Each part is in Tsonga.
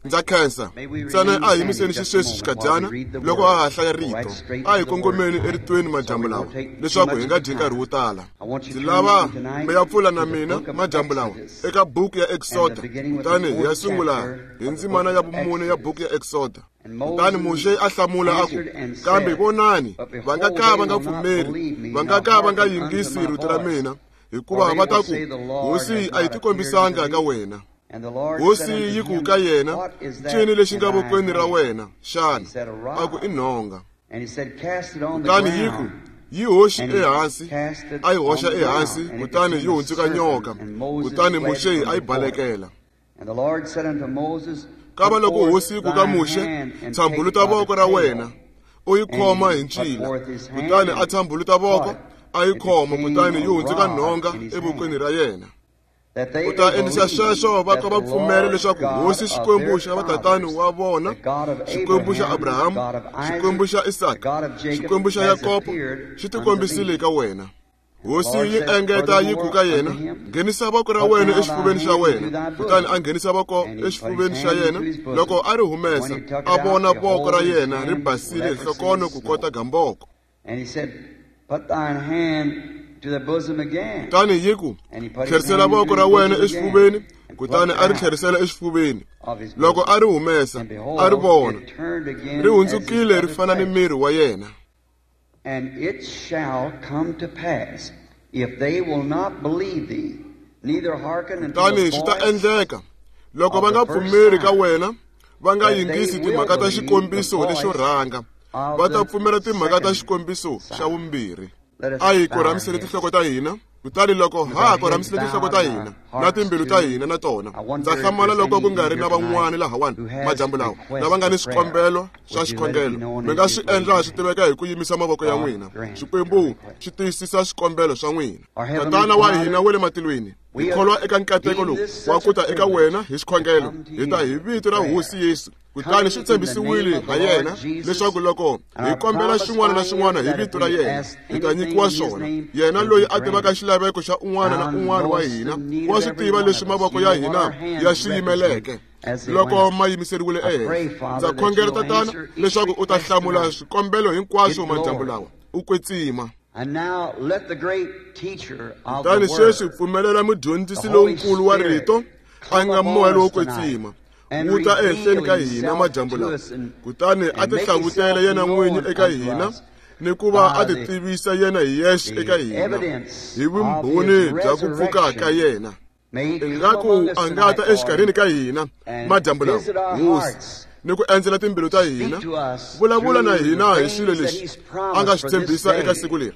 Ndza khensa. Ntsena a hi yimiseni xisweswi xikadyana loko a ha hlaya rito. A hi kongomeni eritweni madyambu lawa leswaku hi nga dyi nkarhi wo tala. Ndzi lava mi ya pfula na mina madyambu lawa eka buku ya Eksoda, kutani hi ya sungula hi ndzimana ya vumune ya buku ya Eksoda. Kutani Muxe a hlamula a ku, Kambe vonani, va nga ka va nga pfumeri, va nga ka va nga yingisi rito ra mina, hikuva va ta ku, Hosi a yi tikombisanga ka wena. Hosi yi ku ka yena, Ncini lexi nga vokweni ra wena xana? A ku, I nhonga. Kutani yi ku, Yi hoxi ehansi. A yi hoxa ehansi, kutani yi hundzuka nyoka. Kutani Muxe a yi balekela. Kava loko hosi yi ku ka Muxe, Tshambuluta voko ra wena, u yi khoma hi ncila. Kutani a tshambuluta voko, a yi khoma, kutani yi hundzuka nhonga evokweni ra yena. U ta endlisa sweswo va ka va pfumela leswaku Hosi Xikwembu xa vatatani wa vona, Xikwembu xa Abrahamu, Xikwembu xa Isaka, Xikwembu xa Yakobo, xi tikombisile ka wena. Hosi yi engeta yi ku ka yena, Nghenisa voko ra wena exifuveni xa wena. Kutani a nghenisa voko exifuveni xa yena. Loko a ri humesa, a vona voko ra yena ri basile hi nhlokono kukota gamboko. Kutani yi ku, Tlherisela voko ra wena exifuveni. Kutani a ri tlherisela exifuveni. Loko a ri humesa, a ri vona ri hundzukile ri fana ni miri wa yena. And it shall come to pass, if they will not believe thee, neither hearken unto Kutani the swi ta voice endleka loko va nga pfumeri ka wena, va nga yingisi timhaka ta xikombiso lexo rhanga, va ta pfumela timhaka ta xikombiso xa vumbirhi. A hi korhamisele tinhloko ta hina. Kutani loko ha ha korhamisile tinhloko ta hina na timbilu ta hina na tona, ndza hlamala loko ku nga ri na van'wana lahawani madyambu lawa lava nga ni swikombelo swa xikhongelo. Mi nga swi endla swi tiveka hi ku yimisa mavoko ya n'wina. Xikwembu xi tiyisisa swikombelo swa n'wina. Tatana wa hina wa le matilweni, hi kholwa eka nkateko lowu wa ku ta eka wena hi xikhongelo. Hi ta hi vito ra Hosi Yesu. Kutani swi tshembisiwile ha yena leswaku loko hi kombela xin'wana na xin'wana hi vito ra yena, hi ta nyikiwa swona. Yena loyi a tivaka xilaveko xa un'wana na un'wana wa hina, wa swi tiva leswi mavoko ya hina ya swi yimeleke loko ma yimiseriwile ehenhla. Ndza khongela, Tatana, leswaku u ta hlamula swikombelo hinkwaswo madyambu lawa. U kwetsima. Kutani sweswi pfumelela mudyondzisi lonkulu wa rito, a nga Moya lowo kwetsima, wu ta ehenhleni ka hina madyambu lawa, kutani a tihlavutela yena n'winyi eka hina ni ku va a titivisa yena hi yexe eka hina hi vumbhoni bya ku pfuka ka yena. Ingaku a nga ta exikarhini ka hina madyambu lawa, Hosi, ni ku endzela timbilu ta hina, vulavula na hina hi swilo leswi a nga swi tshembisa eka siku leri,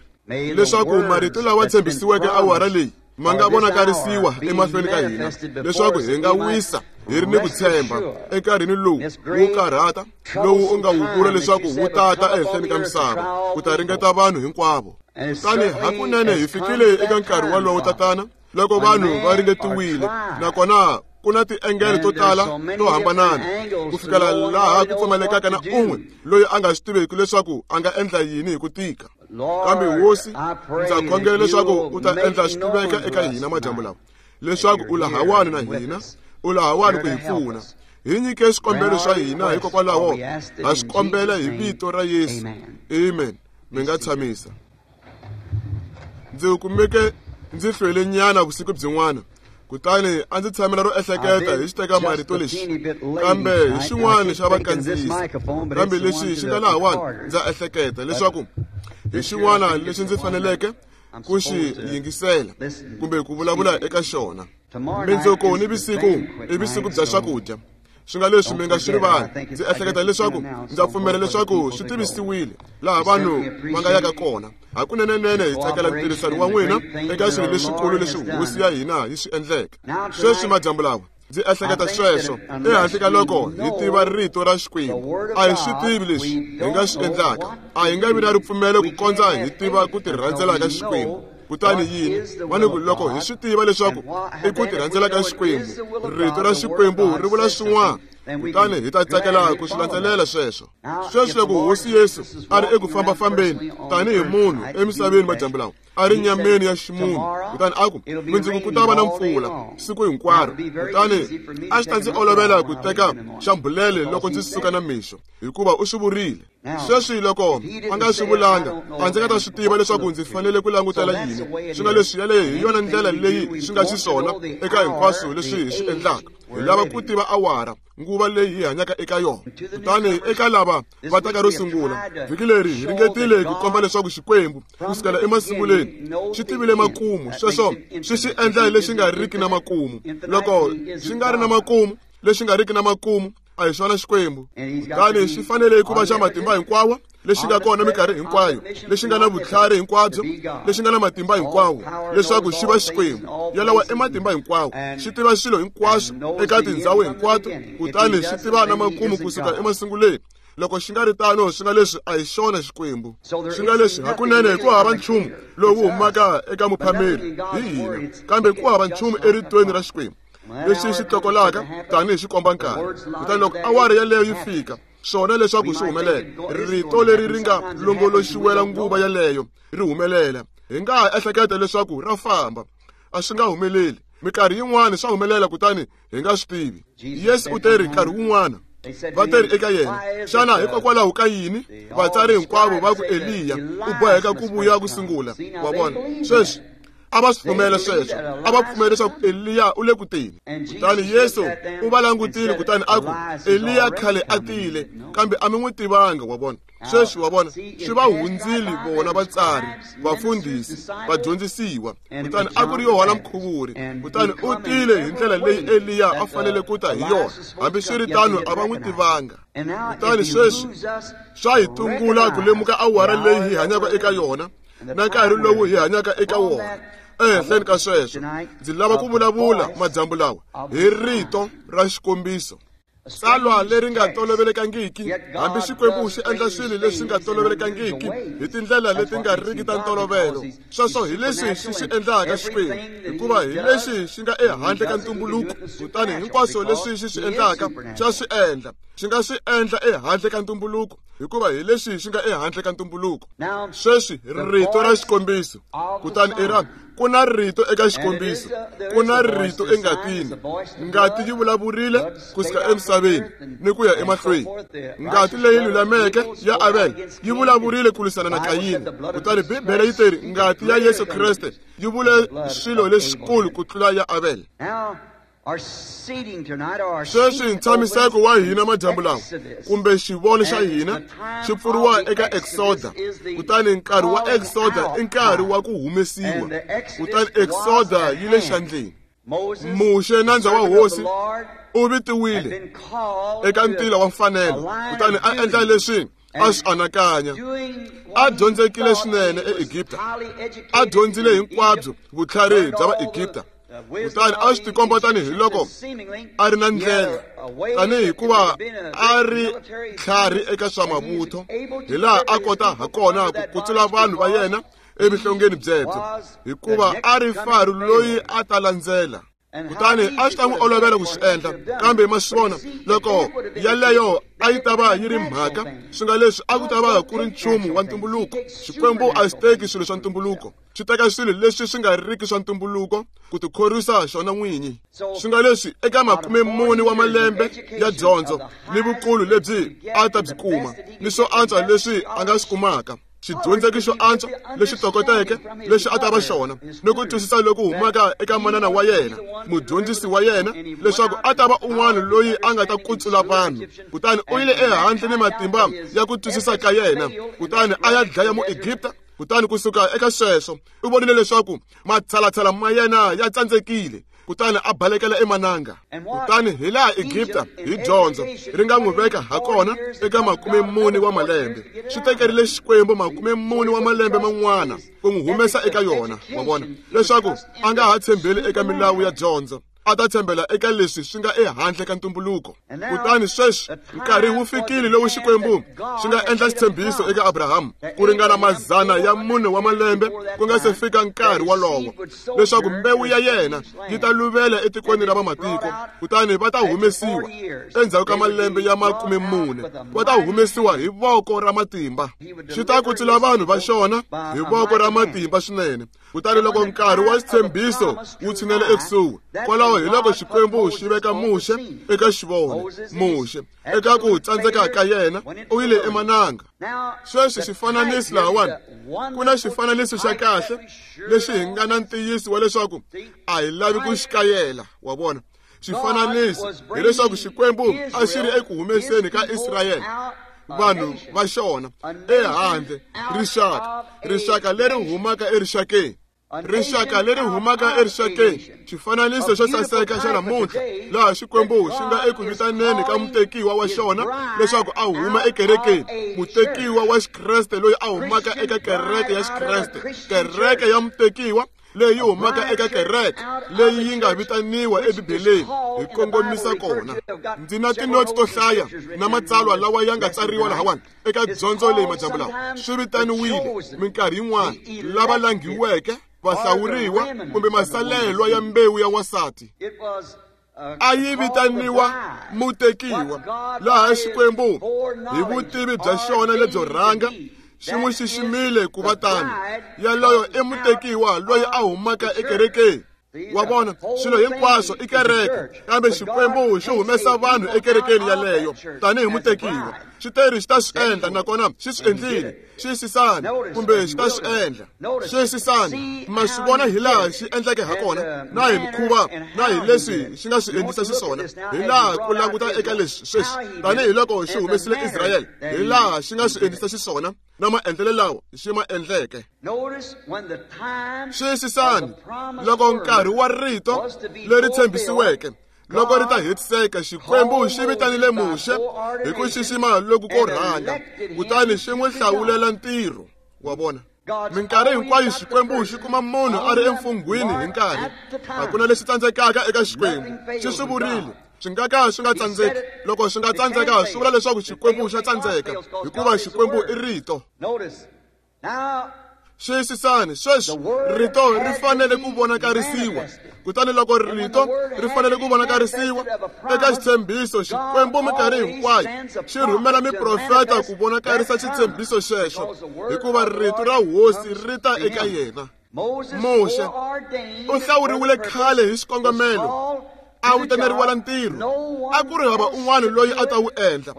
leswaku marito lawa tshembisiweke awara leyi ma nga vonakarisiwa emahlweni ka hina, leswaku hi nga wisa hi ri ni ku tshemba enkarhini lowu wo karhata lowu u nga wu vula leswaku wu tata ehenhleni ka misava ku ta ringeta vanhu hinkwavo. Kutani hakunene hi fikile eka nkarhi wolowo, Tatana, loko vanhu va ringetiwile, nakona ku na tiengele to tala to hambanana ku fikela laha ku pfumalekaka na un'we loyi a nga swi tiveki leswaku a nga endla yini hi ku tika. Kambe Hosi, ndza khongela leswaku u ta endla swi tiveka eka hina madyambu lawa, leswaku u lahawani na hina, u lahawani ku hi pfuna. Hi nyike swikombelo swa hina, hikokwalaho ha swi kombela hi vito ra Yesu. Amen. Mi nga tshamisa. Ndzi kumeke ndzi hlwele nyana vusiku byin'wana, kutani a ndzi tshamela ro ehleketa hi xitekamarito lexi, kambe hi xin'wana xa vakandziyisi. Kambe lexi xi nga lahawani, ndza ehleketa leswaku hi xin'wana lexi ndzi faneleke ku xi yingisela kumbe ku vulavula eka xona. Mindzuku ni vusiku i vusiku bya swakudya. Swi nga leswi mi nga swi rivali. Ndzi ehleketa leswaku ndza pfumela leswaku swi tivisiwile laha vanhu va nga yaka kona. Hakunenenene hi tsakela ntirhisano wa n'wina eka swilo leswikulu leswi Hosi ya hina yi swi endleke. Sweswi madyambu lawa, ndzi ehleketa sweswo ehandle ka loko hi tiva rito ra Xikwembu. A hi swi tivi leswi hi nga swi endlaka. A hi nga vi na ripfumelo ku kondza hi tiva ku tirhandzela ka Xikwembu. Kutani yini? Manuku loko hi swi tiva leswaku i ku tirhandzela ka Xikwembu, rito ra Xikwembu ri vula swin'wana. Kutani hi ta tsakela ku swi landzelela sweswo. Sweswi loko Hosi Yesu a ri eku fambafambeni tanihi munhu emisaveni madyambu lawa, a ri nyameni ya ximunhu, kutani a ku, mundzuku ku ta va na mpfula siku hinkwaro, kutani a swi ta ndzi olovela ku teka xambhulele loko ndzi suka na mixo, hikuva u swi vurile. Sweswi loko a nga swi vulanga, a ndzi nga ta swi tiva leswaku ndzi fanele ku langutela yini. Swi nga leswi yaleyo hi yona ndlela leyi swi nga xiswona eka hinkwaswo leswi hi swi endlaka. Hi lava ku tiva awara, nguva leyi hi hanyaka eka yona. Kutani eka lava va taka ro sungula, vhiki leri hi ringetile ku komba leswaku Xikwembu kusukela emasunguleni xi tivile makumu. Sweswo swi xi endla lexi nga riki na makumu. Loko xi nga ri na makumu, lexi nga riki na makumu a hi xona Xikwembu. Kutani xi fanele ku va xa matimba hinkwawo, lexi nga kona minkarhi hinkwayo, lexi nga na vutlhari hinkwabyo, lexi nga na matimba hinkwawo, leswaku xi va Xikwembu. Yalawa i matimba hinkwawo, xi tiva swilo hinkwaswo eka tindhawu hinkwato, kutani xi tiva na makumu kusuka emasunguleni. Loko xi nga ri tano, swi nga leswi a hi xona Xikwembu. Swi nga leswi hakunene ku hava nchumu lowu humaka eka muphameri hi hina, kambe ku hava nchumu eritweni ra Xikwembu lexi xi tlokolaka tanihi xikomba nkarhi. Kutani loko awara yaleyo yi fika, swona leswaku swi humelela, rito leri ri nga longoloxiwela nguva yaleyo ri humelela. Hi nga ha ehleketa leswaku ra famba, a swi nga humeleli. Minkarhi yin'wana swa humelela kutani hi nga swi tivi. Yesu u teri nkarhi wun'wana, va teri eka yena, xana hikokwalaho ka yini vatsari hinkwavo va ku Eliya u boheka ku vuya ku sungula? Wa vona, sweswi a va swi pfumela sweswo, a va pfumela leswaku Eliya u le ku teni. Kutani Yesu u va langutile kutani a ku, Eliya khale a tile, kambe a mi n'wi tivanga. Wa vona, sweswi wa vona, swi va hundzile vona vatsari, vafundhisi, vadyondzisiwa. Kutani a ku ri Yohana Mukhuvuri, kutani u tile hi ndlela leyi Eliya a fanele ku ta hi yona. Hambi swi ri tano, a va n'wi tivanga. Kutani sweswi swa hi tungula ku lemuka awara leyi hi hanyaka eka yona na nkarhi lowu hi hanyaka eka wona. Ehenhleni ka sweswo, ndzi lava ku vulavula madyambu lawa hi rito ra xikombiso, tsalwa leri nga tolovelekangiki. Hambi Xikwembu xi endla swilo leswi nga tolovelekangiki hi tindlela leti nga riki ta ntolovelo. Sweswo hi leswi xi swi endlaka Xikwembu, hikuva hi lexi xi nga ehandle ka ntumbuluko. Kutani hinkwaswo leswi xi swi endlaka xa swi endla, xi nga swi endla ehandle ka ntumbuluko, hikuva hi lexi xi nga ehandle ka ntumbuluko. Sweswi rito ra xikombiso, kutani i ra ku na rito eka xikombiso, ku na rito engatini. Ngati yi vulavurile kusuka emisaveni ni ku ya emahlweni. Ngati leyi lulameke ya Abel yi vulavurile ku lwisana na Kayini. Kutani Bibele yi teri ngati ya Yesu Kreste yi vule swilo leswikulu ku tlula ya Abel. Sweswi ntshamiseko wa hina madyambu lawa, kumbe xivono xa hina, xi pfuriwa eka Exoda. Kutani nkarhi wa Exoda i nkarhi wa ku humesiwa. Kutani Exoda yi le xandleni. Muxe, nandza wa Hosi, u vitiwile eka ntila wa mfanelo, kutani a endla leswi a swi anakanya. A dyondzekile swinene eEgipta, a dyondzile hinkwabyo vutlhari bya Vaegipta. Kutani a swi tikomba tanihi loko a ri na ndlela, tanihi hikuva a ri tlhari eka swa mavutho, hi laha a kota ha kona ku kutsula vanhu va yena evuhlongeni byebyo, hikuva a ri Faro loyi a ta landzela. Kutani a swi ta n'wi olovela ku swi endla, kambe ma swi vona, loko yaleyo a yi ta va yi ri mhaka, swi nga leswi a ku ta va ku ri nchumu wa ntumbuluko. Xikwembu a xi teki swilo swa ntumbuluko, xi teka swilo leswi swi nga riki swa ntumbuluko ku tikhorwisa xona n'winyi. Swi nga leswi eka 40 wa malembe ya dyondzo ni vukulu lebyi a ta byi kuma, ni swo antswa leswi a nga swi kumaka, xidyondzeki xo antswa lexi tokoteke lexi a ta va xona, ni ku twisisa loku humaka eka manana wa yena, mudyondzisi wa yena, leswaku a ta va un'wana loyi a nga ta kutsula vanhu. Kutani u yile ehandle ni matimba ya ku twisisa ka yena, kutani a ya dlaya Muegipta. Kutani kusuka eka sweswo u vonile leswaku matshalatshala ma yena ya tsandzekile, kutani a balekela emananga. Kutani hi laha Egipta hi dyondzo ri nga n'wi veka ha kona eka 40 wa malembe, swi tekerile Xikwembu 40 wa malembe man'wana ku n'wi humesa eka yona. Wa vona, leswaku a nga ha tshembeli eka milawu ya dyondzo. A ta tshembela eka leswi swi nga ehandle ka ntumbuluko. Kutani sweswi nkarhi wu fikile lowu Xikwembu xi nga endla xitshembiso eka Abrahamu ku ringana 400 wa malembe ku nga se fika nkarhi wolowo, leswaku mbewu ya yena yi ta luvela etikweni ra vamatiko, kutani va ta humesiwa endzhaku ka malembe ya 40, va ta humesiwa hi voko ra matimba. Xi ta kutsula vanhu va xona hi voko ra matimba swinene. Kutani loko nkarhi wa xitshembiso wu tshinele ekusuhi, kwalaho hi loko Xikwembu xi veka Muxe eka xivono. Muxe eka ku tsandzeka ka yena u yile emananga. Sweswi xifananisi lahawani, ku na xifananiso xa kahle lexi hi nga na ntiyiso wa leswaku a hi lavi ku xi kayela. Wa vona, xifananisi hileswaku Xikwembu a xi ri eku humeseni ka Israyele, vanhu va xona, ehandle, rixaka, rixaka leri humaka erixakeni, rixaka leri humaka erixakeni. Xifananiso xo saseka xa namuntlha laha Xikwembu xi nga eku vitaneni ka mutekiwa wa xona leswaku a huma ekerekeni, mutekiwa wa Xikreste loyi a humaka eka kereke ya Xikreste, kereke ya mutekiwa leyi humaka eka kereke leyi yi nga vitaniwa eBibeleni hi kongomisa kona. Ndzi na tinotsi to hlaya na matsalwa lawa ya nga tsariwa lahawani eka dyondzo leyi madyambu lawa. Swi vitaniwile minkarhi yin'wana lava langiweke, vahlawuriwa kumbe masalelwa ya mbewu ya wansati. A yi vitaniwa mutekiwa, laha Xikwembu hi vutivi bya xona lebyo rhanga xi n'wi xiximile ku va tano. Yaloyo i mutekiwa loyi a humaka ekerekeni. Wa vona, swilo hinkwaswo i kereke, kambe Xikwembu xi humesa vanhu ekerekeni yaleyo tanihi mutekiwa. Xi teri xi ta swi endla, nakona xi swi endlile. Xiyisisani, kumbe xi ta swi endla. Xiyisisani, ma swi vona hi laha xi endleke ha kona, na hi mikhuva, na hi leswi xi nga swi endlisa xiswona, hi laha ku languta eka leswi sweswi, tanihiloko xi humesile Israyele, hi laha xi nga swi endlisa xiswona na maendlelo lawa xi ma endleke. Xiyisisani, loko nkarhi wa rito leri tshembisiweke loko ri ta hetiseka, Xikwembu xi vitanile Muxe hi ku xixima loku ko rhanga, kutani xi n'wi hlawulela ntirho. Wa vona, minkarhi hinkwayo Xikwembu xi kuma munhu a ri emfunghwini hi nkarhi. A ku na lexi tsandzekaka eka Xikwembu. Xi swi vurile, swi nga ka swi nga tsandzeki. Loko swi nga tsandzeka, swi vula leswaku Xikwembu xa tsandzeka, hikuva Xikwembu i rito. Xiyisisani, sweswi rito ri fanele ku vonakarisiwa. Kutani loko rito ri fanele ku vonakarisiwa eka xitshembiso, Xikwembu minkarhi hinkwayo xi rhumela miprofeta ku vonakarisa xitshembiso xexo, hikuva rito ra Hosi ri ta eka yena. Muxe u hlawuriwile khale hi xikongomelo, a vitaneriwela ntirho. A ku ri hava un'wana loyi a ta wu endla.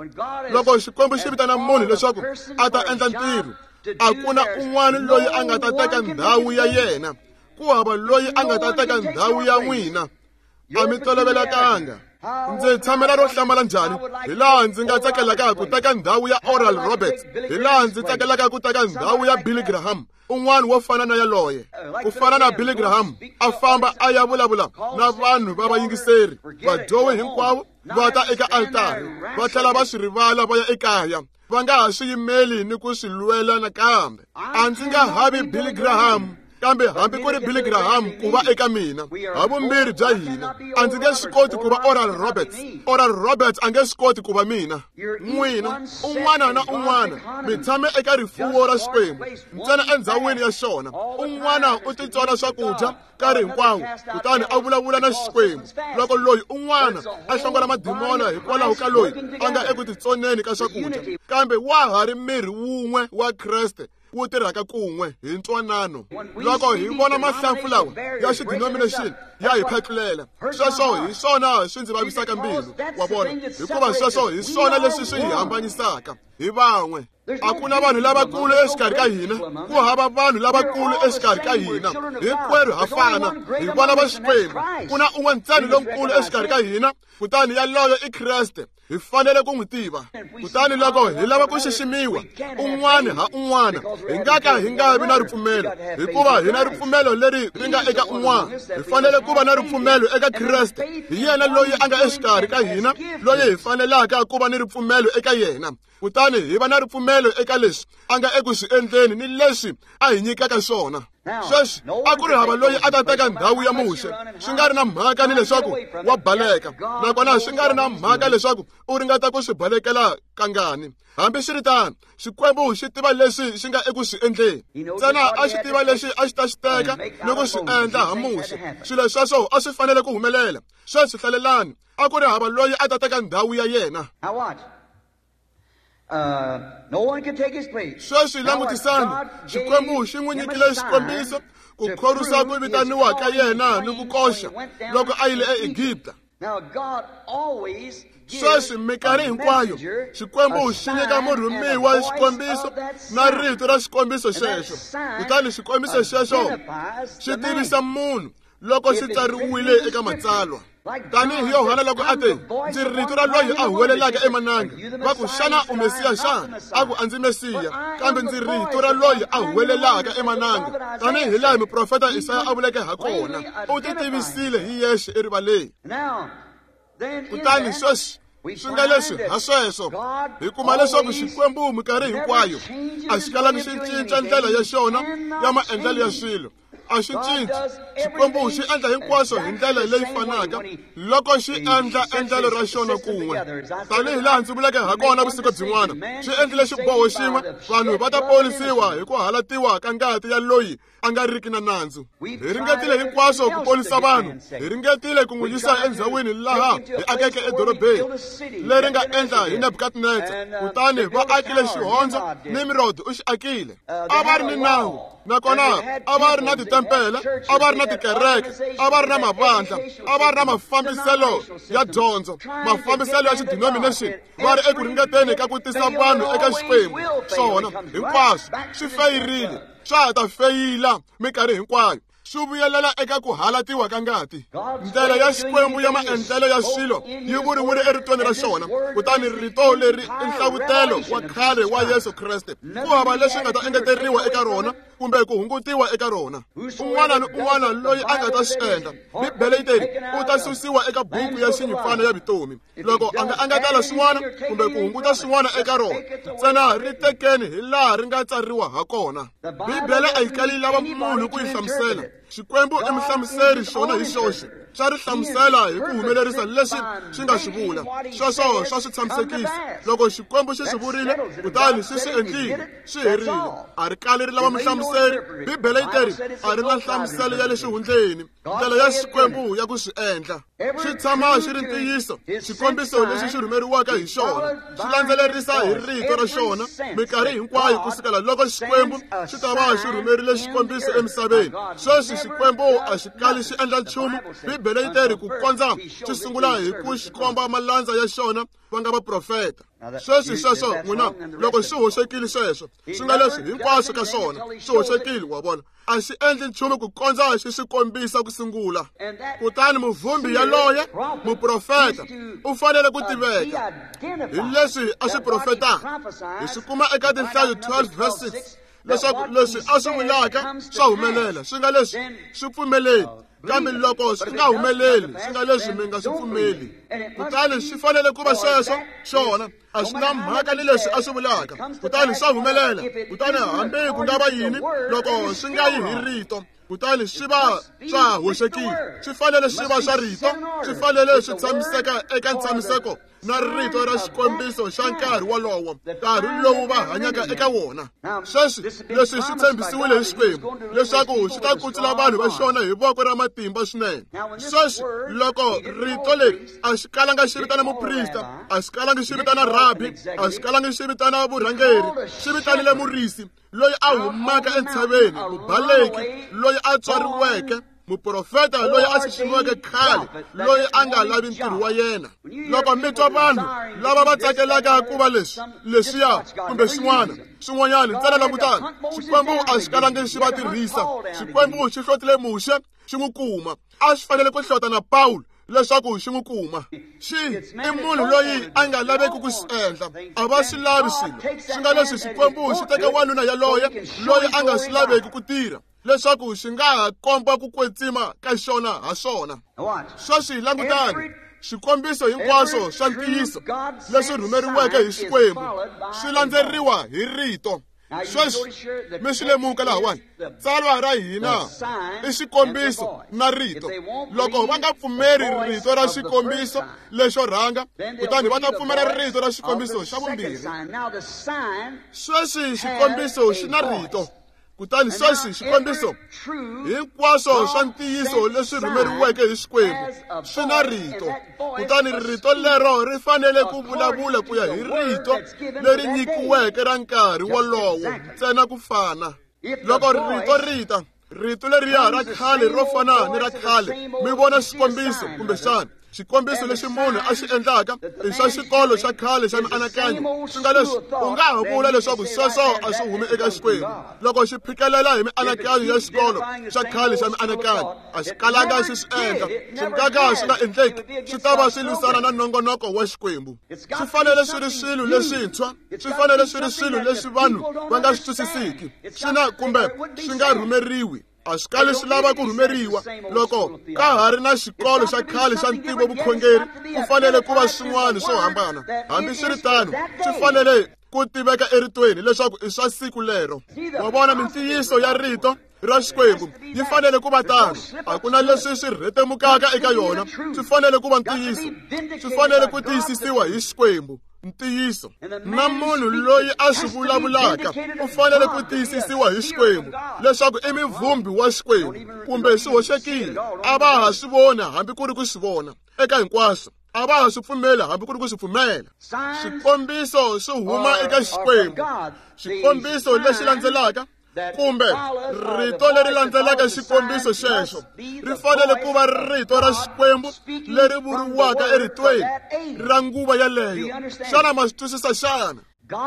Loko Xikwembu xi vitana munhu leswaku a ta endla ntirho, a ku na un'wana loyi a nga ta teka ndhawu ya yena. Ku hava loyi a nga ta teka ndhawu ya n'wina. A mi tolovelekanga. Ndzi tshamela ro hlamala njhani hi laha ndzi nga tsakelaka ku teka ndhawu ya Oral Roberts, hi laha ndzi tsakelaka ku teka ndhawu ya Billy Graham, un'wana wo fana na yaloye. Ku fana na Billy Graham, a famba a ya vulavula na vanhu va vayingiseri, vadyohi hinkwavo va ta eka altari, va tlhela va swi rivala va ya ekaya, va nga ha swi yimeli ni ku swi lwela nakambe. A ndzi nga havi Billy Graham, kambe hambi ku ri Billy Graham ku va eka mina, havumbirhi bya hina. A ndzi nge swi koti ku va Oral Roberts. Oral Roberts a nge swi koti ku va mina. N'wina, un'wana na un'wana, mi tshame eka rifuwo ra Xikwembu, ntsena endzhawini ya xona. Un'wana u titsona swakudya nkarhi hinkwawo, kutani a vulavula na Xikwembu. Loko loyi un'wana a hlongola madimona hikwalaho ka loyi a nga eku titsoneni ka swakudya, kambe wa ha ri miri wun'we wa Kreste wu tirhaka kun'we hi ntwanano. Loko hi vona mahlampfu lawa ya xidenomination ya hi phatlulela, sweswo hi swona swi ndzi vavisaka mbilu. Wa vona, hikuva sweswo hi swona leswi swi hi hambanyisaka hi van'we. A ku na vanhu lavakulu exikarhi ka hina, ku hava vanhu lavakulu exikarhi ka hina. Hinkwerhu ha fana, hi vana va Xikwembu. Ku na un'we ntsena lonkulu exikarhi ka hina, kutani yaloyo i Kreste. Hi fanele ku n'wi tiva. Kutani loko hi lava ku xiximiwa un'wana ha un'wana, hi nga ka hi nga vi na ripfumelo, hikuva hi na ripfumelo leri ri nga eka un'wana. Hi fanele ku va na ripfumelo eka Kreste. Hi yena loyi a nga exikarhi ka hina, loyi hi fanelaka ku va ni ripfumelo eka yena. Kutani hi va na ripfumelo eka leswi a nga eku swi endleni ni leswi a hi nyikaka swona. Sweswi a ku ri hava loyi a ta teka ndhawu ya Muxe, swi nga ri na mhaka ni leswaku wa baleka, nakona swi nga ri na mhaka leswaku u ringeta ku swi balekela kangani. Hambiswiritano, Xikwembu xi tiva leswi xi nga eku swi endleni. Ntsena a xi tiva leswi a xi ta xi teka ni ku swi endla ha Muxe. Swilo sweswo a swi fanele ku humelela. Sweswi hlalelani, a ku ri hava loyi a ta teka ndhawu ya yena. Sweswi langutisani, Xikwembu xi n'wi nyikile xikombiso ku khorwisa ku vitaniwa ka yena ni ku koxa loko a yile eEgipta. Sweswi minkarhi hinkwayo Xikwembu xi nyika murhumiwa xikombiso na rito ra xikombiso xexo, kutani xikombiso xexo xi tivisa munhu loko xi tsariwile eka matsalwa. Tanihi Yohana loko a te, ndzi rito ra loyi a huwelelaka emananga, va ku, xana u Mesiya xana? A ku, a ndzi Mesiya, kambe ndzi rito ra loyi a huwelelaka emananga, tanihi laha muprofeta Isaya a vuleke ha kona. U ti tivisile hi yexe erivaleni. Kutani sweswi swi nga leswi ha sweswo hi kuma leswaku Xikwembu minkarhi hinkwayo a xi kalangi xi cinca ndlela ya xona ya maendlelo ya swilo. A xi cinci. Xikwembu xi endla hinkwaswo hi ndlela leyi fanaka loko xi endla endlelo ra xona kun'we. Tanihi laha ndzi vuleke ha kona vusiku byin'wana, xi endlile xiboho xin'we, vanhu va ta ponisiwa hi ku halatiwa ka ngati ya loyi a nga riki na nandzu. Hi ringetile hinkwaswo ku ponisa vanhu, hi ringetile ku n'wi yisa endzhawini laha hi akeke edorobeni leri nga endla hi Nebukadnetsa, kutani va akile xihondzo, Nimrod u xi akile. A va ri ni nawu, nakona a va ri na titempele, a va ri na tikereke, a va ri na mavandla, a va ri na mafambiselo ya dyondzo, mafambiselo ya xidenomination, va ri eku ringeteni ka ku tisa vanhu eka Xikwembu. Swona hinkwaswo swi feyirile, swa ha ta feyila minkarhi hinkwayo, swi vuyelela eka ku halatiwa ka ngati. Ndlela ya Xikwembu ya maendlelo ya swilo yi vuriwile eritweni ra xona, kutani rito leri i nhlavutelo wa khale wa Yesu Kreste. Ku hava leswi nga ta engeteriwa eka rona kumbe ku hungutiwa eka rona. Un'wana ni un'wana loyi a nga ta swi endla, Bibele yi teri, u ta susiwa eka buku ya xinyimpfana ya vutomi. Loko a nga engetela swin'wana kumbe ku hunguta swin'wana eka rona, ntsena ri tekeni hi laha ri nga tsariwa ha kona. Bibele a yi kali yi lava munhu ku yi hlamusela. Xikwembu i muhlamuseri xona hi xoxe, xa ri hlamusela hi ku humelerisa leswi xi nga swi vula. Sweswo swa swi tshamisekisa. Loko Xikwembu xi swi vurile, kutani xi swi endlile, swi herile. A ri kali ri lava muhlamuseri. Bibele yi teri a ri na nhlamuselo ya le xihundleni, ndlela ya Xikwembu ya ku swi endla. Xi tshama xi ri ntiyiso. Xikombiso lexi xi rhumeriwaka hi xona xi landzelerisa hi rito ra xona minkarhi hinkwayo ku sukela loko Xikwembu xi ta va xi rhumerile xikombiso emisaveni. Sweswi Xikwembu a xi kali xi endla nchumu. Bibele yi teri ku kondza xi sungula hi ku xi komba malandza ya xona va nga vaprofeta. Sweswi sweswo n'wina, loko xi hoxekile sweswo, swi nga leswi hinkwaswo ka swona swi hoxekile, wa vona. A xi endli nchumu ku kondza xi swi kombisa ku sungula. Kutani muvhumbi yaloye, muprofeta, u fanele ku tiveka hi leswi a swi profetaka. Hi swi kuma eka Tinhlayo 12 verse 6 leswaku leswi a swi vulaka swa humelela, swi nga leswi swi pfumeleli. Kambe loko swi nga humeleli, swi nga leswi mi nga swi pfumeli. Kutani swi fanele ku va sweswo xona. A swi na mhaka ni leswi a swi vulaka, kutani swa humelela. Kutani hambi ku nga va yini, loko swi nga yi hi rito, kutani swi va swa hoxekile. Swi fanele swi va swa rito, swi fanele swi tshamiseka eka ntshamiseko na rito ra xikombiso xa nkarhi wolowo, nkarhi lowu va hanyaka eka wona. Sweswi leswi swi tshembisiwile hi Xikwembu leswaku xi ta kutsula vanhu va xona hi voko ra matimba swinene. Sweswi loko rito leri a xi kalanga xi vitana muprista, a xi kalangi xi vitana rabi, a xi kalangi xi vitana vurhangeri, xi vitanile murisi loyi a humaka entshaveni, mubaleki loyi a tswariweke, muprofeta loyi a xiximiweke khale, loyi a nga lavi ntirho wa yena. Loko mi twa vanhu lava va tsakelaka ku va leswi, leswiya kumbe swin'wana, swin'wanyana, ntsena langutani. Xikwembu a xi kalangi xi va tirhisa. Xikwembu xi hlotile Muxe, xi n'wi kuma. A xi fanele ku hlota na Pawulo leswaku xi n'wi kuma. Xi i munhu loyi a nga laveki ku swi endla. A va swi lavi swilo. Swi nga leswi Xikwembu xi teka wanuna yaloye loyi a nga swi laveki ku tirha, leswaku xi nga ha komba ku kwetsima ka xona ha swona. Sweswi langutani, swikombiso hinkwaswo swa ntiyiso leswi rhumeriweke hi Xikwembu swi landzeriwa hi rito. Sweswi mi swi lemuka lahawani, tsalwa ra hina i xikombiso na rito. Loko va nga pfumeri rito ra xikombiso lexo rhanga, kutani va ta pfumela rito ra xikombiso xa vumbirhi. Sweswi xikombiso xi na rito, kutani sweswi xikombiso hinkwaswo swa ntiyiso leswi rhumeriweke hi Xikwembu swi na rito, kutani rito lero ri fanele ku vulavula ku ya hi rito leri nyikiweke ra nkarhi wolowo ntsena ku fana. Loko rito rita, rito leriya ra khale ro fana ni ra khale, mi vona xikombiso kumbexana xikombiso lexi munhu a xi endlaka i xa xikolo xa khale xa mianakanyo, swi nga leswi u nga ha vula leswaku sweswo a swi humi eka Xikwembu. Loko xi phikelela hi mianakanyo ya xikolo xa khale xa mianakanyo, a xi kalanga xi swi endla, swi nga ka swi nga endleki, swi ta va swi lwisana na nongonoko wa Xikwembu. Swi fanele swi ri swilo leswintshwa, swi fanele swi ri swilo leswi vanhu va nga swi twisisiki, swi na kumbe swi nga rhumeriwi. A swi kali swi lava ku rhumeriwa. Loko ka ha ri na xikolo xa khale xa ntivo vukhongeri, ku fanele ku va swin'wana swo hambana. Hambiswiritano, swi fanele ku tiveka eritweni leswaku i swa siku lero. Wa vona, mintiyiso ya rito ra Xikwembu yi fanele ku va tano. A ku na leswi swi rhetemukaka eka yona. Swi fanele ku va ntiyiso, swi fanele ku tiyisisiwa hi Xikwembu. Ntiyiso na munhu loyi a swi vulavulaka u fanele ku tiyisisiwa hi Xikwembu leswaku i muvumbi wa Xikwembu, kumbe swi hoxekile, a va ha swi vona hambi ku ri ku swi vona eka hinkwaswo, a va ha swi pfumela hambi ku ri ku swi pfumela. Xikombiso swi huma eka Xikwembu. Xikombiso lexi landzelaka kumbe rito leri landzelaka xikombiso xexo ri fanele ku va rito ra Xikwembu leri vuriwaka eritweni ra nguva yaleyo. Xana ma swi twisisa xana?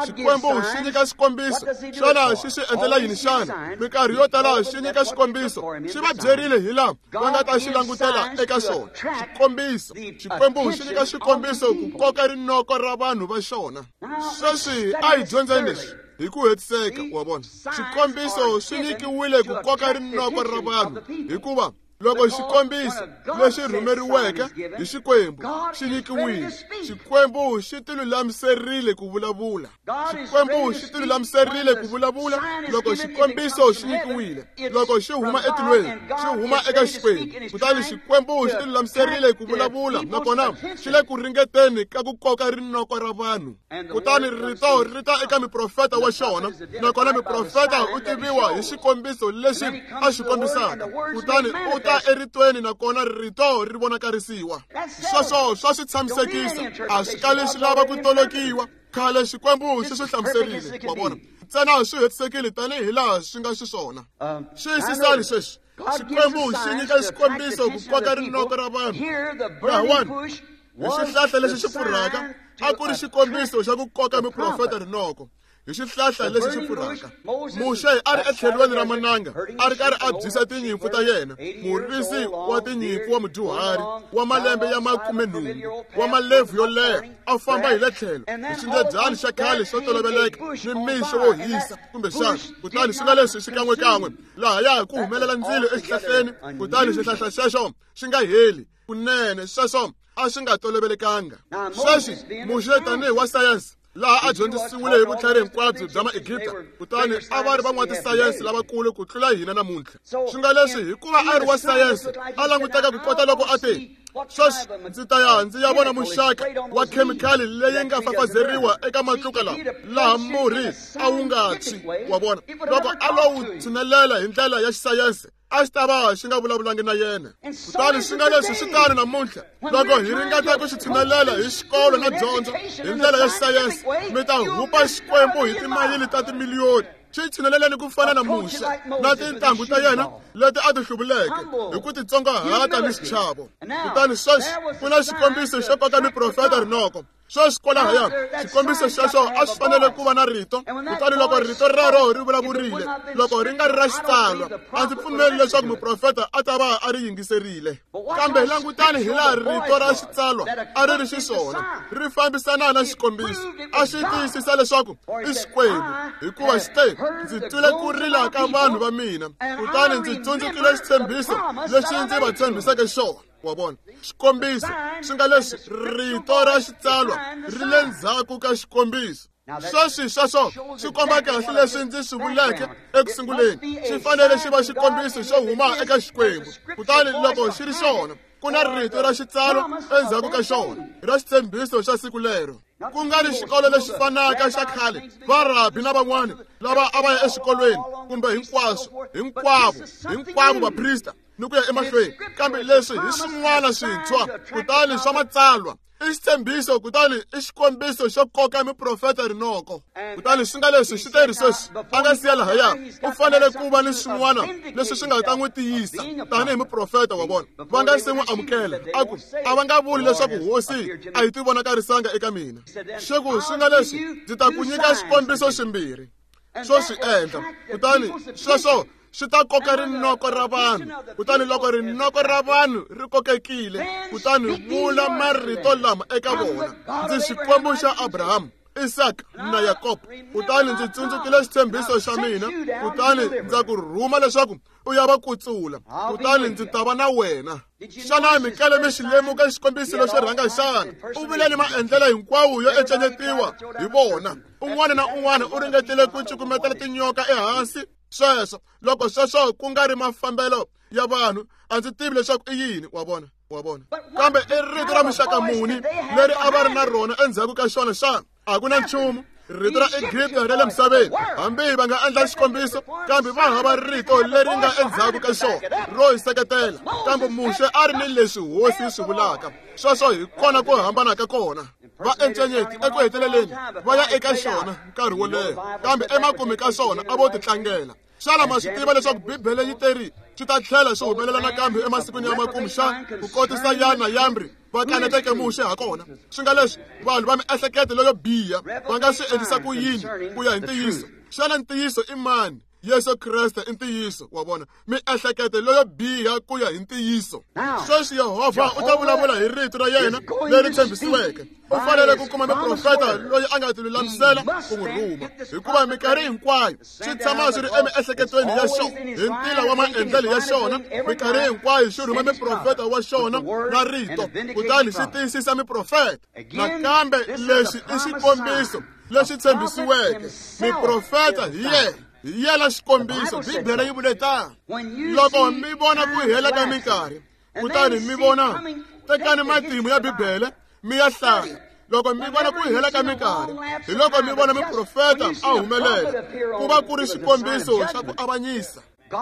Xikwembu xi nyika xikombiso. Xana xi swi endlela yini xana? Minkarhi yo tala xi nyika xikombiso, xi va byerile hi laha va nga ta xi langutela eka xona. Xikombiso, Xikwembu xi nyika xikombiso ku koka rinoko ra vanhu va xona. Sweswi a hi dyondzeni leswi hi ku hetiseka. Wa vona, xikombiso swi nyikiwile ku koka rinoko ra vanhu, hikuva loko xikombiso lexi rhumeriweke hi Xikwembu xi nyikiwile, Xikwembu xi tilulamiserile ku vulavula. Xikwembu xi tilulamiserile ku vulavula loko xikombiso xi nyikiwile. Loko xi huma etilweni, xi huma eka Xikwembu, kutani Xikwembu xi tilulamiserile ku vulavula, nakona xi le ku ringeteni ka ku koka rinoko ra vanhu. Kutani rito ri ta eka muprofeta wa xona, nakona muprofeta u tiviwa hi xikombiso lexi a xi kombisaka. Kutani u ta eritweni, nakona rito ri vonakarisiwa. Sweswo swa swi tshamisekisa, a swi kali swi lava ku tolokiwa. Khale Xikwembu xi swi hlamuserile, wa vona, ntsena swi hetisekile tanihi laha swi nga xiswona. Xiyisisani sweswi, Xikwembu xi nyika xikombiso ku koka rinoko ra vanhu. Lahawani hi xihlahla lexi xi pfurhaka a ku ri xikombiso xa ku koka muprofeta rinoko. Hi xihlahla lexi xi pfurhaka, Muxe a ri etlhelweni ra mananga, a ri karhi a byisa tinyimpfu ta yena, murisi wa tinyimpfu wa mudyuhari wa malembe ya 18, wa malebvu yo leha, a famba hi le tlhelo hi xindledyani xa khale xo toloveleka ni mixo wo hisa kumbexana. Kutani swi nga leswi xikan'wekan'we lahaya ku humelela ndzilo exihlahleni, kutani xihlahla xexo xi nga heli kunene. Sweswo a swi nga tolovelekanga. Sweswi Muxe tanihi wa sayense, laha a dyondzisiwile hi vutlhari hinkwabyo bya Maegipta, kutani a va ri van'watisayense lavakulu ku tlula hina namuntlha. Swi nga leswi hikuva a ri wa sayense, a languteka ku kota loko a te, sweswi ndzi ta ya ndzi ya vona muxaka wa khemikhali leyi nga fafazeriwa eka matluka lawa, laha murhi a wu nga tshwi. Wa vona, loko a lo wu tshinelela hi ndlela ya xisayense, a xi ta va xi nga vulavulangi na yena. Kutani swi nga leswi swi tano namuntlha, loko hi ringeta ku xi tshinelela hi xikolo na dyondzo hi ndlela ya xisayense, mi ta hupa Xikwembu hi timayili ta timiliyoni. Xi tshineleleni ku fana na Muxe na tintangu ta yena leti a ti hluvuleke hi ku titsongahata ni xichavo. Kutani sweswi ku na xikombiso xo koka miprofeta rinoko. Sweswi kwalahaya xikombiso xexo a swi fanele ku va na rito, kutani loko rito rero ri vulavurile, loko ri nga ri ra xitsalwa, a ndzi pfumeli leswaku muprofeta a ta va a ri yingiserile. Kambe langutani hi laha rito ra xitsalwa a ri ri xiswona, ri fambisana na xikombiso, a xi tiyisisa leswaku i Xikwembu, hikuva xi te, ndzi twile ku rila ka vanhu va mina, kutani ndzi tsundzukile xitshembiso lexi ndzi va tshembiseke xona. Wa vona, xikombiso swi nga leswi rito ra xitsalwa ri le ndzhaku ka xikombiso. Sweswi sweswo swi komba kahle leswi ndzi swi vuleke eku sunguleni. Xi fanele xi va xikombiso xo huma eka Xikwembu. Kutani loko xi ri xona, ku na rito ra xitsalo endzhaku ka xona ra xitshembiso xa siku lero. Ku nga ri xikolo lexi fanaka xa khale, varabi na van'wana lava a va ya exikolweni kumbe hinkwaswo, hinkwavo vaprista ni ku ya emahlweni. Kambe leswi hi swin'wana swintshwa, kutani swa matsalwa i xitshembiso, kutani i xikombiso xo koka miprofeta rinoko. Kutani swi nga leswi xi teri sweswi a nga siya lahaya, u fanele ku va ni swin'wana leswi swi nga ta n'wi tiyisa tanihi muprofeta wa vona. Va nga se n'wi amukela, a ku a va nga vuli leswaku hosi a yi tivonakarisanga eka mina. Xi ku swi nga leswi ndzi ta ku nyika xikombiso ximbirhi swo swi endla, kutani sweswo swi ta koka rinoko ra vanhu. Kutani loko rinoko ra vanhu ri kokekile, kutani vula marito lama eka vona: ndzi Xikwembu xa Abraham, Isaka na Yakobo. Kutani ndzi tsundzukile xitshembiso xa mina, kutani ndza ku rhuma leswaku u ya va kutsula, kutani ndzi ta va na wena. Xana mi kale mi xi lemuka xikombiso lexo rhanga xana? U vule ni maendlelo hinkwawo yo encenyetiwa hi vona. Un'wana na un'wana u ringetile ku cukumetela tinyoka ehansi. Sweswo loko sweswo ku nga ri mafambelo ya vanhu, a ndzi tivi leswaku i yini. Wa vona, wa vona. Kambe i rito ra muxaka muni leri a va ri na rona endzhaku ka xona xana? A ku na nchumu. Rito ra Egipta ra le misaveni, hambi va nga endla xikombiso, kambe va hava rito leri nga endzhaku ka xona ro hi seketela. Kambe Muxe a ri ni leswi hosi yi swi vulaka. Sweswo hi kona ku hambana ka kona. Va encenyeti eku heteleleni va ya eka xona nkarhi wo leha, kambe emakumu ka swona a vo titlangela. Xana ma swi tiva leswaku Bibele yi teri swi ta tlhela swi humelela nakambe emasikwini ya makumu xa ku kotisa Yana Yambri va kaneteke Muxe ha kona? Swi nga leswi vanhu va miehleketo leyo biha va nga swi endlisa ku yini ku ya hi ntiyiso? Xana ntiyiso i mani? Yesu Kreste i ntiyiso. Wa vona, miehleketo leyo biha ku ya hi ntiyiso. Sweswi Yehovha u ta vulavula hi rito ra yena leri tshembisiweke. U fanele ku kuma muprofeta loyi a nga tilulamisela ku n'wi rhuma, hikuva minkarhi hinkwayo swi tshama swi ri emiehleketweni ya xona hi ntila wa maendlelo ya xona. Minkarhi hinkwayo xi rhuma muprofeta wa xona na rito, kutani xi tiyisisa miprofeta. Nakambe lexi i xikombiso lexi tshembisiweke. Miprofeta hi yena, hi yena xikombiso. Bibele yi vule tano: loko mi vona ku hela ka minkarhi, kutani mi vona, tekani matimu ya Bibele mi ya hlaya. Loko mi vona ku hela ka minkarhi, hi loko mi vona muprofeta a humelela, ku va ku ri xikombiso xa ku avanyisa.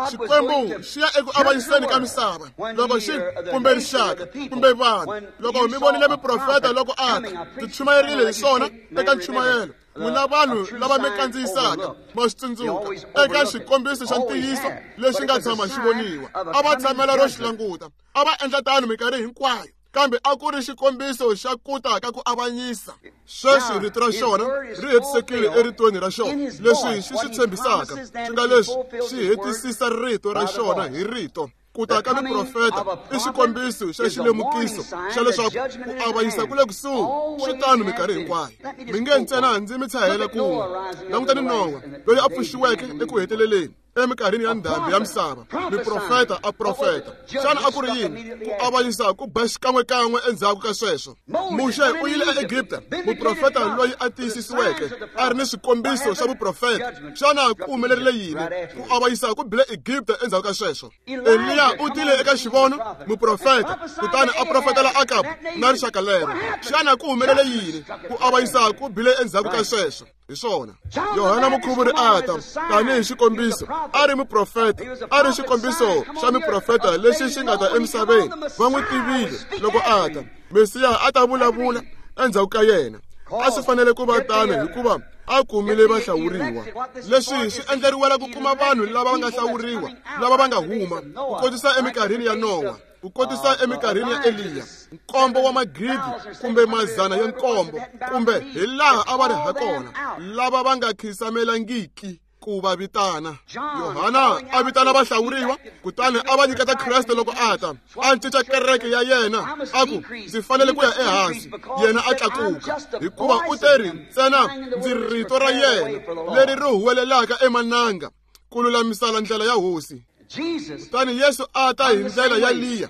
Xikwembu xi ya eku avanyiseni ka misava loko xi kumbe rixaka kumbe vanhu. Loko mi vonile muprofeta loko a ta, ndzi chumayerile hi swona eka nchumayelo. N'wina vanhu lava mi kandziyisaka ma swi tsundzuka eka xikombiso xa ntiyiso lexi nga tshama xi voniwa. A va tshamela ro xi languta, a va endla tano minkarhi hinkwayo, kambe a ku ri xikombiso xa ku ta ka ku avanyisa. Sweswi rito ra xona ri hetisekile eritweni ra xona. Leswi xi swi tshembisaka swi nga leswi xi hetisisa rito ra xona hi rito. Ku ta ka miprofeta i xikombiso xa xilemukiso xa leswaku ku avanyisa ku le kusuhi. Swi tano minkarhi hinkwayo. Mi nge ntsena ndzi mi tshahela kun'we. Langutani Nowa loyi a pfuxiweke eku heteleleni eminkarhini ya ndhambi ya misava. Miprofeta a profeta. Xana a ku ri yini? Ku avanyisa ku ba xikan'wekan'we endzhaku ka sweswo. Muxe u yile eEgipta, muprofeta loyi a tiyisisiweke a ri ni swikombiso swa vuprofeta. Xana ku humelerile yini? Ku avanyisa ku bile Egipta endzhaku ka sweswo. Eliya u tile eka xivono, muprofeta, kutani a profetela Akabu na rixaka lero. Xana ku humelele yini? Ku avanyisa ku bile endzhaku ka sweswo. Hi swona Yohana Mukhuvuri a ta tanihi xikombiso, a ri muprofeta, a ri xikombiso xa miprofeta lexi xi nga ta emisaveni. Va n'wi tivile loko a ta. Mesiya a ta vulavula endzhaku ka yena. A swi fanele ku va tano hikuva a kumile vahlawuriwa. Leswi swi endleriwela ku kuma vanhu lava va nga hlawuriwa, lava va nga huma, ku kotisa eminkarhini ya Nowa, ku kotisa eminkarhini ya Eliya, nkombo wa magidi kumbe mazana ya nkombo, kumbe hi laha a va ri ha kona, lava va nga khisamelangiki ku va vitana. Yohana a vitana vahlawuriwa, kutani a va nyiketa Kreste loko a ta. A cinca kereke ya yena, a ku ndzi fanele ku ya ehansi, yena a tlakuka, hikuva u teri ntsena ndzi rito ra yena leri ri huwelelaka emananga ku lulamisela ndlela ya hosi. Kutani Yesu a ta hi ndlela ya Liya,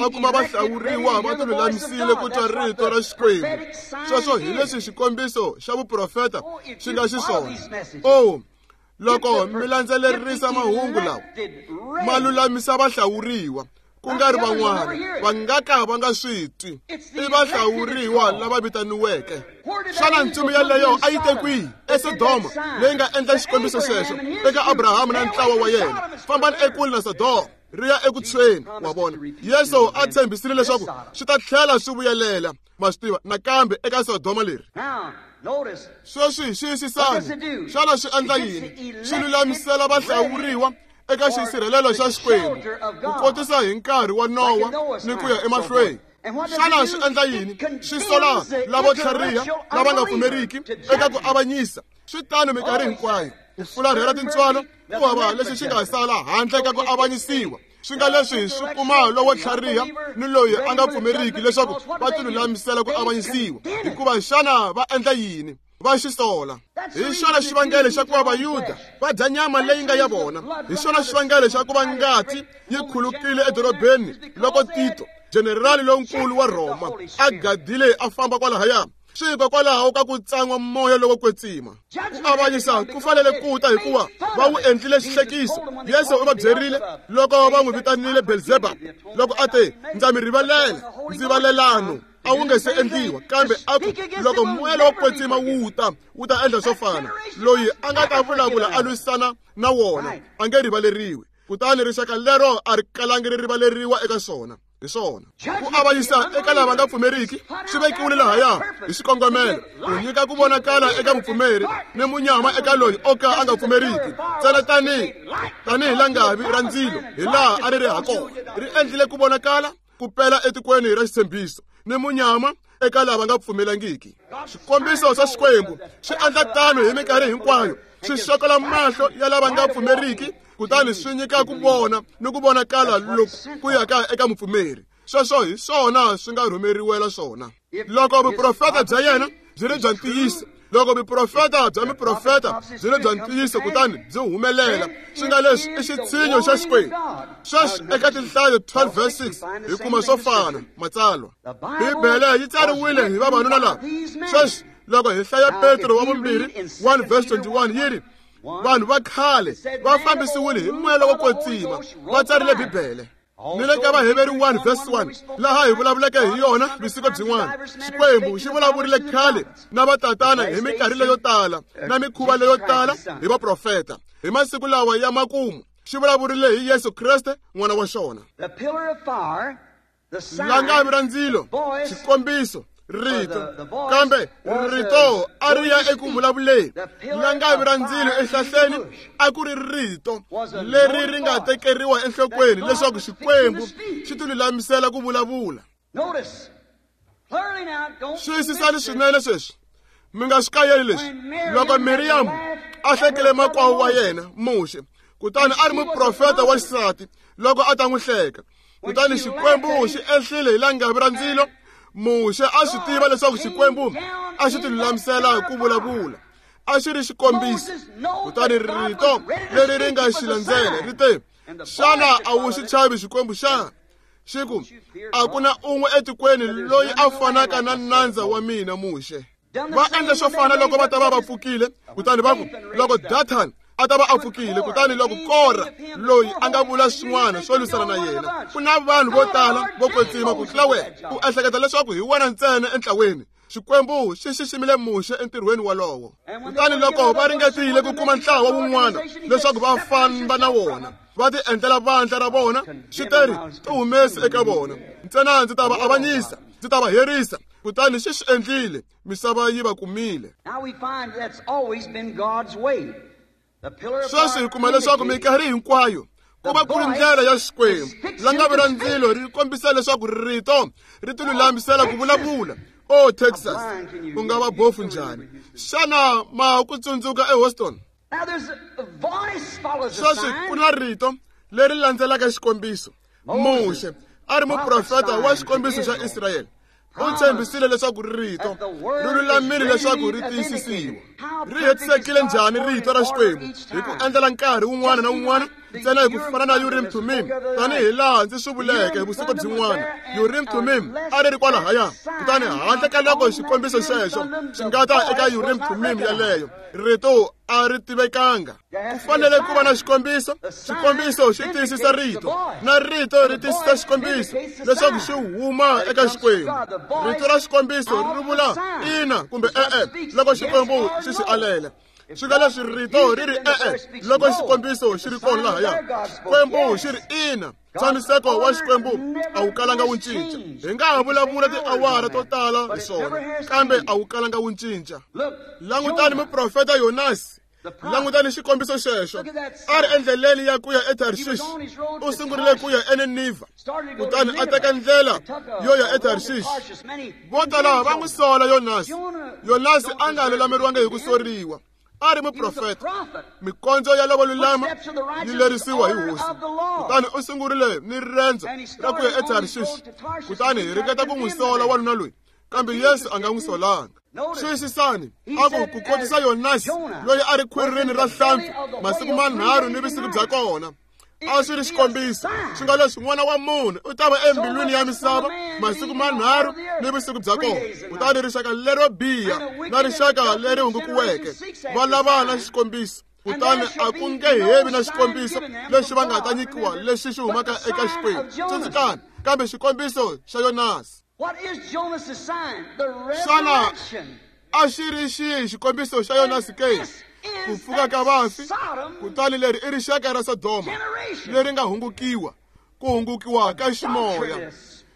a kuma vahlawuriwa va tilulamisile ku twa rito ra Xikwembu. Sweswo hi leswi xikombiso xa vuprofeta xi nga xiswona. Oh, loko mi landzelerisa mahungu lawa, ma lulamisa vahlawuriwa, ku nga ri van'wana va nga ka va nga swi twi. I vahlawuriwa lava vitaniweke. Xana ntsumi yaleyo a yi te kwihi? ESodoma, leyi nga endla xikombiso xexo eka Abrahama na ntlawa wa yena. Fambani ekule na Sodoma, ri ya eku tshweni. Wa vona, Yesu a tshembisile leswaku swi ta tlhela swi vuyelela, ma swi tiva, nakambe eka Sodoma leri. Sweswi xiyisisani, xana swi endla yini? Swi lulamisela vahlawuriwa eka xisirhelelo xa Xikwembu, ku kotisa hi nkarhi wa Nowa ni ku ya emahlweni. Xana swi endla yini? Swi sola lavo tlhariha lava nga pfumeriki eka ku avanyisa. Swi tano minkarhi hinkwayo. Ku fularhela tintswalo ku hava lexi xi nga sala handle ka ku avanyisiwa. Swi nga leswi swi kuma lowo tlhariha ni loyi a nga pfumeriki leswaku va tilulamisela ku avanyisiwa. Hikuva xana va endla yini? Va xi sola. Hi xona xivangelo xa ku va Vayuda va dya nyama leyi nga ya vona. Hi xona xivangelo xa ku va ngati yi khulukile edorobeni loko Tito, jenerali lonkulu wa Rhoma, a gadile a famba kwalahaya. Swi hikokwalaho ka ku tsan'wa moya lowo kwetsima. Ku avanyisa ku fanele ku ta hikuva va wu endlile xihlekiso. Yesu u va byerile loko va n'wi vitanile Belzebub, loko a te, ndza mi rivalela, ndzivalelano a wu nge se endliwa, kambe a ku loko moya lowo kwetsima wu ta, wu ta endla swo fana. Loyi a nga ta vulavula a lwisana na wona a nge rivaleriwi. Kutani rixaka lero a ri kalangi ri rivaleriwa eka swona. Hi swona, ku avanyisa eka lava nga pfumeriki swi vekiwile lahaya hi xikongomelo ku nyika ku vonakala eka mupfumeri ni munyama eka loyi o ka a nga pfumeriki. Ntsena tanihi langavi ra ndzilo hi laha a ri ri ha kona, ri endlile ku vonakala ku pela etikweni ra xitshembiso ni munyama eka lava nga pfumelangiki. Swikombiso swa Xikwembu swi endla tano hi minkarhi hinkwayo, swi xokola mahlo ya lava nga pfumeriki kutani swi nyika ku vona ni ku vonakala loku ku yaka eka mupfumeri. Sweswo hi swona swi nga rhumeriwela swona. Loko vuprofeta bya yena byi ri bya ntiyiso, loko vuprofeta bya miprofeta byi ri bya ntiyiso kutani byi humelela, swi nga leswi i xitshinyo xa Xikwembu. Sweswi eka Tinhlayo 12 verse 6 hi kuma swo fana matsalwa. Bibele yi tsariwile hi vavanuna lava. Sweswi loko hi hlaya Petro wa vumbirhi 1 verse 21 yi ri, vanhu va khale va fambisiwile hi moya lowo kwetsima, va tsarile Bibele. Ni le ka Vaheveri 1 verse 1 laha hi vulavuleke hi yona vusiku byin'wana, Xikwembu xi vulavurile khale na vatatana hi minkarhi leyo tala na mikhuva leyo tala hi vaprofeta. Hi masiku lawa ya makumu xi vulavurile hi Yesu Kreste n'wana wa xona. Langavi ra ndzilo, xikombiso, rito, kambe rito a ri ya eku vulavuleni. Langavi ra ndzilo ehlahleni a ku ri rito leri ri nga tekeriwa enhlokweni leswaku Xikwembu xi tilulamisela ku vulavula. Xiyisisani swinene sweswi, mi nga swi kayeli leswi. Loko Miriam a hlekile makwavo wa yena Muxe, kutani a ri muprofeta wa xisati loko a ta n'wi hleka, kutani Xikwembu xi ehlile hi langavi ra ndzilo. Muxe a swi tiva leswaku Xikwembu a xi tilulamisela ku vulavula, a xi ri xikombiso. Kutani rito leri ri nga xi landzela ri te, xana a wu xi chavi Xikwembu xana? Xi ku, a ku na un'we etikweni loyi a fanaka na nandza wa mina Muxe. Va endle swo fana loko va ta va va pfukile, kutani va ku, loko Dathan a ta va a pfukile, kutani loko Kora loyi a nga vula swin'wana swo lwisana na yena, ku na vanhu vo tala vo kwetsima ku tlula wena, u ehleketa leswaku hi wena ntsena entlaweni. Xikwembu xi xiximile Muxe entirhweni wolowo. Kutani loko va ringetile ku kuma ntlawa wun'wana leswaku va famba na wona, va ti endlela vandla ra vona, xi teri, ti humesi eka vona, ntsena ndzi ta va avanyisa, ndzi ta va herisa. Kutani xi swi endlile, misava yi va kumile. Sweswi hi kuma leswaku minkarhi hinkwayo ku va ku ri ndlela ya Xikwembu. Langavi ra ndzilo ri kombisa leswaku rito ri tilulamisela ku vulavula. Oh, Texas, u nga va bofu njhani? Xana ma ku tsundzuka eHouston? Sweswi ku na rito leri landzelaka xikombiso. Muxe a ri muprofeta wa xikombiso xa Israyele. U tshembisile leswaku rito ri lulamile leswaku ri tiyisisiwa. Ri hetisekile njhani rito ra Xikwembu? Hi ku endlela nkarhi wun'wana na wun'wana Ntsena hi ku fana na Urim Thummim, tanihi laha ndzi swi vuleke vusiku byin'wana, Urim Thummim a ri ri kwalahaya. Kutani handle ka loko xikombiso xexo xi nga ta eka Urim Thummim yaleyo, rito a ri tivekanga. Ku fanele ku va na xikombiso. Xikombiso xi tiyisisa rito, na rito ri tiyisisa xikombiso leswaku xi huma eka Xikwembu. Rito ra xikombiso ri vula ina kumbe e-e loko Xikwembu xi swi alela. Swi nga leswi rito ri ri e-e loko xikombiso xi ri kona lahaya. Xikwembu xi ri ina. Ntshamiseko wa Xikwembu a wu kalanga wu cinca. Hi nga ha vulavula tiawara to tala hi swona, kambe a wu kalanga wu cinca. Langutani muprofeta Yonasi. Langutani xikombiso xexo. A ri endleleni ya ku ya eTarshish. U sungurile ku ya eNinivha, kutani a teka ndlela yo ya eTarshish. Vo tala va n'wi sola Yonasi. Yonasi a nga lulameriwanga hi ku soriwa. A ri muprofeta. Mikondzo ya lavo lulama yi lerisiwa hi Hosi. Kutani u sungurile ni riendzo ra ku ya eTarshish. Kutani hi ringeta ku n'wi sola wanuna loyi, kambe Yesu a nga n'wi solanga. Xiyisisani, a ku ku kotisa Yonasi loyi a ri khwirini ra hlampfi masiku manharhu ni vusiku bya kona. A swi ri xikombiso, swi nga leswi N'wana wa Munhu u ta va embilwini ya misava masiku manharhu ni vusiku bya kona. Kutani rixaka lero biha na rixaka leri hungukiweke va lava na xikombiso. Kutani a ku nge hevi na xikombiso lexi va nga ta nyikiwa lexi xi humaka eka Xikwembu. Tsundzukani, kambe xikombiso xa Yonasi. Xana a xi ri xihi xikombiso xa Yonasi ke? Ku pfuka ka vafi. Kutani leri i rixaka ra Sodoma leri nga hungukiwa, ku hungukiwa ka ximoya,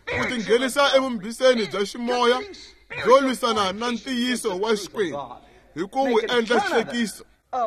ku tinghenisa evumbhiseni bya ximoya byo lwisana na ntiyiso wa Xikwembu hi ku wu endla xihlekiso.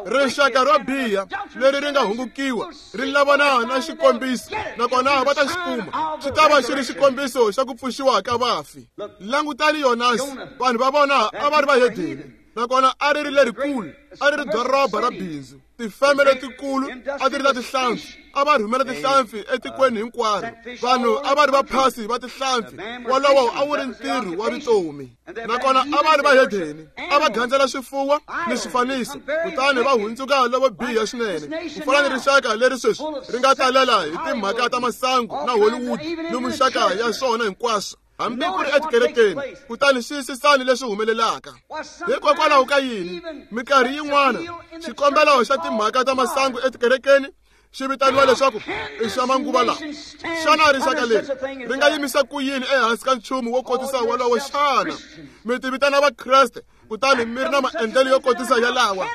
Rixaka ro biha leri ri nga hungukiwa ri lavana na xikombiso, nakona va ta xi kuma. Xi ta va xi ri xikombiso xa ku pfuxiwa ka vafi. Langutani Yonasi. Vanhu va vona a va ri vahedeni, nakona a ri ri lerikulu, a ri ri doroba ra bindzu. Tifeme letikulu a ti ri ta tihlampfi, a va rhumela tihlampfi etikweni hinkwaro. Vanhu a va ri vaphasi va tihlampfi. Wolowo a wu ri ntirho wa vutomi. Nakona a va ri vahedeni, a va gandzela swifuwo ni swifaniso, kutani va hundzuka lavo biha swinene, ku fana ni rixaka leri sweswi ri nga talela hi timhaka ta masangu na Hollywood ni muxaka ya swona hinkwaswo, hambi ku ri etikerekeni. Kutani xiyisisani leswi humelelaka. Hikokwalaho ka yini minkarhi yin'wana xikombelo xa timhaka ta masangu etikerekeni xi vitaniwa leswaku i xa manguva lawa? Xana rixaka leri ri nga yimisa ku yini ehansi ka nchumu wo kotisa wolowo? Xana mi ti vitana Vakreste kutani mi ri na maendlelo yo kotisa yalawa?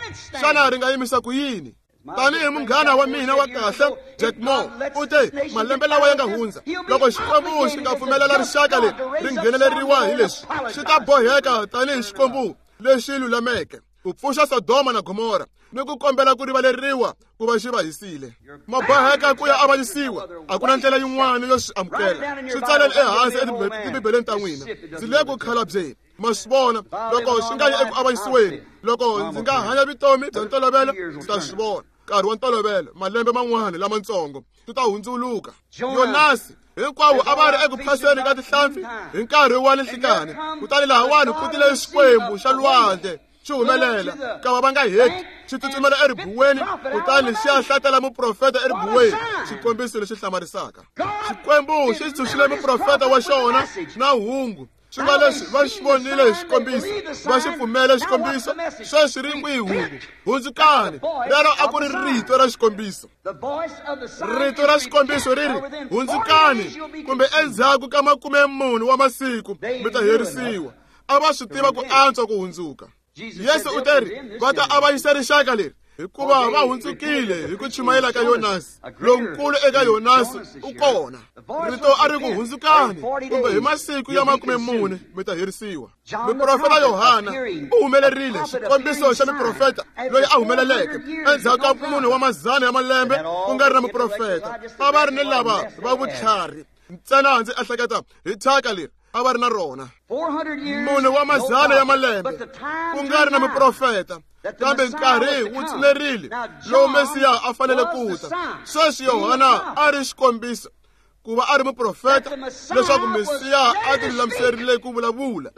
Xana ri nga yimisa ku yini? Tanihi munghana wa mina wa kahle Jack Moore u te malembe lawa ya nga hundza, loko Xikwembu xi nga pfumelela rixaka leri ri ngheneleriwa hi leswi, xi ta boheka tanihi Xikwembu lexi lulameke ku pfuxa Sodoma na Gomora ni ku kombela ku rivaleriwa ku va xi va hisile. Ma boheka ku ya avanyisiwa. A ku na ndlela yin'wana yo swi amukela. Swi tsaleni ehansi etibibeleni ta n'wina. Ndzi le ku khalabyeni. Ma swi vona, loko swi nga yi eku avanyisiweni, loko ndzi nga hanya vutomi bya ntolovelo, ndzi ta swi vona. Nkarhi wa ntolovelo, malembe man'wana lamatsongo, swi ta hundzuluka. Yonasi hinkwavo a va ri eku phaseni ka tihlampfi hi nkarhi wa ninhlikani. Kutani lahawani ku tile Xikwembu xa lwandle xi humelela, kava va nga heti, xi tsutsumela eribuweni, kutani xi ya hlatela muprofeta eribuweni. Xikombiso lexi hlamarisaka. Xikwembu xi tshunxile muprofeta wa xona na hungu. Swi nga leswi va xi vonile hi xikombiso, va xi pfumele xikombiso. Sweswi ri kwihi hungu? Hundzukani. Rero a ku ri rito ra xikombiso. Rito ra xikombiso ri ri hundzukani, kumbe endzhaku ka 40 wa masiku mi ta herisiwa. A va swi tiva ku antswa ku hundzuka. Yesu u te ri va ta avanyisa rixaka leri hikuva va hundzukile hi ku chumayela ka Yonasi. Lonkulu eka Yonasi u kona. Rito a ri ku hundzukani, kumbe hi masiku ya 40 mi ta herisiwa. Muprofeta Yohana u humelerile, xikombiso xa muprofeta loyi a humeleleke endzhaku ka 4 wa mazana ya malembe ku nga ri na muprofeta. A va ri ni lava va vutlhari ntsena. Ndzi ehleketa hi thyaka leri a va ri na rona. 4 wa mazana ya malembe ku nga ri na muprofeta, kambe nkarhi wu tshinerile lowu Mesiya a fanele ku ta. Sweswi Yohana a ri xikombiso, ku va a ri muprofeta, leswaku Mesiya a ti lulamiserile ku vulavula.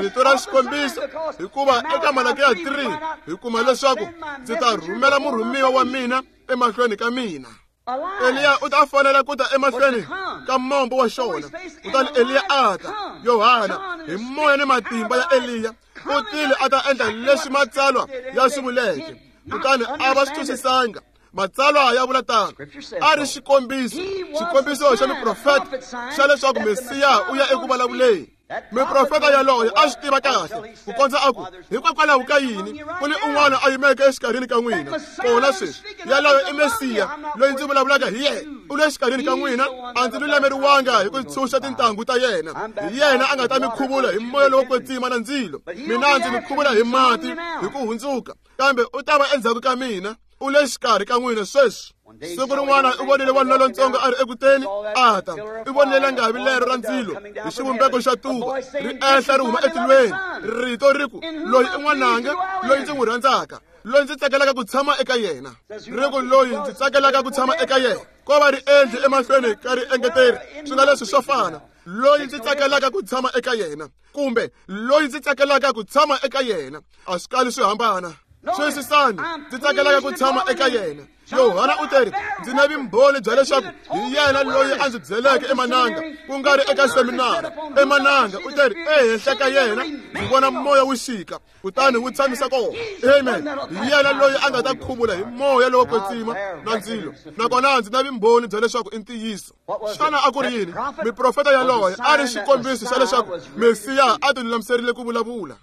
Rito ra xikombiso, hikuva eka Malakiya 3 hi kuma leswaku ndzi ta rhumela murhumiwa wa mina emahlweni ka mina. Eliya u ta fanela ku ta emahlweni ka mombo wa xona. Kutani Eliya a ta, Yohana hi moya ni matimba ya Eliya u tile a ta endla leswi matsalwa ya swi vuleke. Kutani a va swi twisisanga. Matsalwa ya vula tano. A ri xikombiso, xikombiso xa muprofeta xa leswaku Mesiya u ya eku vulavuleni. Muprofeta yaloye a swi tiva kahle ku kondza a ku, hikokwalaho ka yini ku ni un'wana a yimeke exikarhini ka n'wina kona sweswi? Yaloye i Mesiya loyi ndzi vulavulaka hi yena. U le xikarhini ka n'wina, a ndzi lulameriwanga hi ku tshunxa tintangu ta yena. Hi yena a nga ta mi khuvula hi moya lowo kwetsima na ndzilo. Mina ndzi mi khuvula hi mati hi ku hundzuka, kambe u ta va endzhaku ka mina. U le xikarhi ka n'wina sweswi. Siku rin'wana u vonile wanuna lontsongo a ri ekuteni a ta. U vonile langavi lero ra ndzilo hi xivumbeko xa tuva ri ehla ri huma etilweni. Rito ri ku, loyi i n'wananga loyi ndzi n'wi rhandzaka, loyi ndzi tsakelaka ku tshama eka yena. Ri ku, loyi ndzi tsakelaka ku tshama eka yena. Ko va riendli emahlweni ka riengeteri, swi nga leswi swo fana. Loyi ndzi tsakelaka ku tshama eka yena, kumbe loyi ndzi tsakelaka ku tshama eka yena, a swi kali swi hambana. Swisisani, ndzi tsakelaka ku tshama eka yena. Yohana u teri, ndzi na vumbhoni bya leswaku hi yena loyi a ndzi byeleke emananga, ku nga ri eka seminara. Emananga u teri, ehenhla ka yena ndzi vona moya wu xika, kutani wu tshamisa kona. Amen. Hi yena loyi a nga ta khuvula hi moya lowo kwetsima na ndzilo. Nakona ndzi na vumbhoni bya leswaku i ntiyiso. Xana a ku ri yini? Miprofeta yaloye a ri xikombiso xa leswaku Mesiya a tilulamiserile ku vulavula.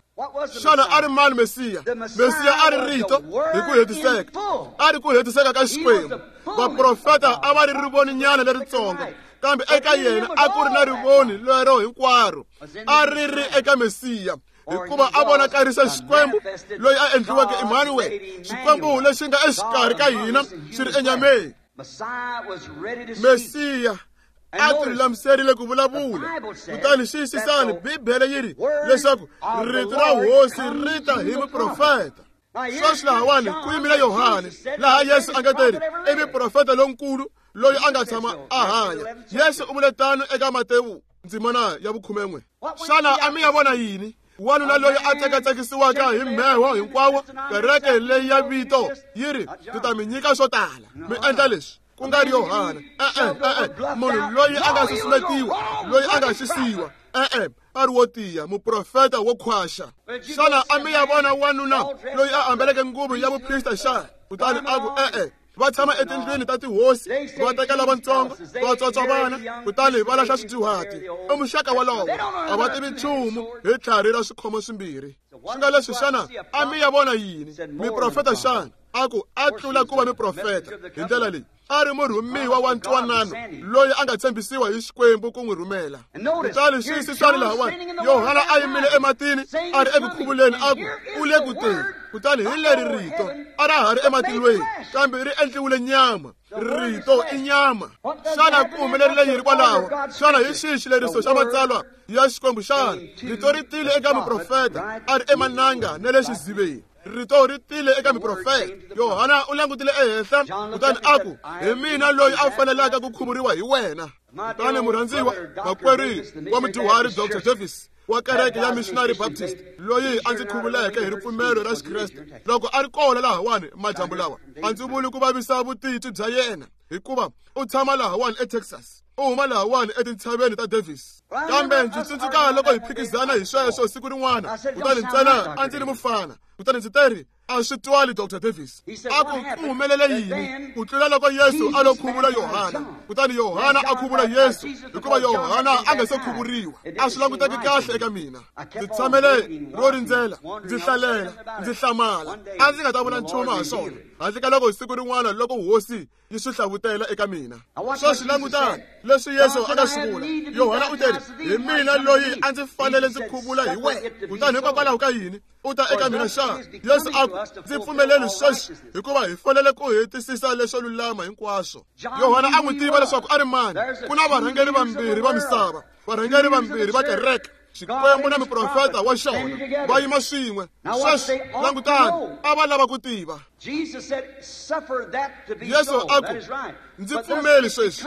Xana a ri mani Mesiya? Mesiya a ri rito hi ku hetiseka. A ri ku hetiseka ka Xikwembu. Vaprofeta a va ri rivoninyana leritsongo, kambe eka yena a ku ri na rivoni lero hinkwaro. A ri ri eka Mesiya, hikuva a vonakarisa Xikwembu loyi a endliweke Emmanuel, Xikwembu lexi nga exikarhi ka hina xi ri enyameni. Mesiya a tilulamiserile ku vulavula. Kutani xiyisisani, Bibele yi ri leswaku rito ra hosi ri ta hi muprofeta. Sweswi lahawani ku yimile Yohane, laha Yesu a nga teri i muprofeta lonkulu loyi a nga tshama a hanya. Yesu u vule tano eka Matewu ndzimana ya 11. Xana a mi ya vona yini? Wanuna loyi a tsakatsekisiwaka hi mheho hinkwawo, kereke leyi ya vito yi ri, ndzi ta mi nyika swo tala, mi endla leswi. Ku nga ri Yohana. E-e, munhu loyi a nga susumetiwa, loyi a nga xisiwa, e-e, a ri wo tiya, muprofeta wo khwaxa. Xana a mi ya vona wanuna loyi a ambeleke nguvu ya vuprista xana? Kutani a ku, e-e, va tshama etindlwini ta tihosi, va teka lavatsongo, va tswatswa vana, kutani va lahla swidyuhati. I muxaka wolowo, a va tivi nchumu hi tlhari ra swikhomo swimbirhi. Swi nga leswi, xana a mi ya vona yini? Miprofeta xana? A ku, a tlula ku va miprofeta hi ndlela leyi. A ri murhumiwa wa ntwanano loyi a nga tshembisiwa hi Xikwembu ku n'wi rhumela. Kutani xiyisisani lahawani, Yohana a yimile ematini a ri eku khuvuleni, a ku, u le ku teni. Kutani hi leri rito a ra ha ri ematilweni, kambe ri endliwile nyama. Rito i nyama. Xana ku humelerile yini kwalaho? Xana hi xihi xileriso xa matsalwa ya Xikwembu xana? Rito ri tile eka muprofeta a ri emananga na le xiziveni. Rito ri tile eka muprofeta. Yohana u langutile ehenhla kutani a ku, hi mina loyi a fanelaka ku khuvuriwa hi wena. Kutani murhandziwa makwerhu wa mudyuhari Dr. Davis wa kereke ya Missionary Baptist loyi a ndzi khuvuleke hi ripfumelo ra Xikreste, loko a ri kona lahawani madyambu lawa, a ndzi vuli ku vavisa vutitwi bya yena, hikuva u tshama lahawani eTexas, u huma lahawani etintshaveni ta Davis. Kambe ndzi tsundzuka loko hi phikizana hi sweswo siku rin'wana, kutani ntsena a ndzi ri mufana, kutani ndzi teri, a swi twali Dr. Davis. A ku, ku humelele yini ku tlula loko Yesu a lo khuvula Yohana, kutani Yohana a khuvula Yesu, hikuva Yohana a nga se khuvuriwa. A swi languteki kahle eka mina. Ndzi tshamele ro rindzela, ndzi hlalela, ndzi hlamala. A ndzi nga ta vula nchumu ha swona handle ka loko siku rin'wana loko hosi yi swi hlavutela eka mina. Sweswi langutani leswi Yesu a nga swi vula. Yohana u teri, hi mina loyi a ndzi fanele ndzi khuvula hi wena, kutani hikokwalaho ka yini u ta eka mina xana? Yesu a ku, ndzi pfumeleli sweswi, hikuva hi fanele ku hetisisa leswo lulama hinkwaswo. Yohana a n'wi tiva leswaku a ri mani. Ku na varhangeri vambirhi va misava, varhangeri vambirhi va kereke, Xikwembu na muprofeta wa xona va yima swin'we. Sweswi langutani, a va lava ku tiva. Yesu a ku, ndzi pfumeli sweswi,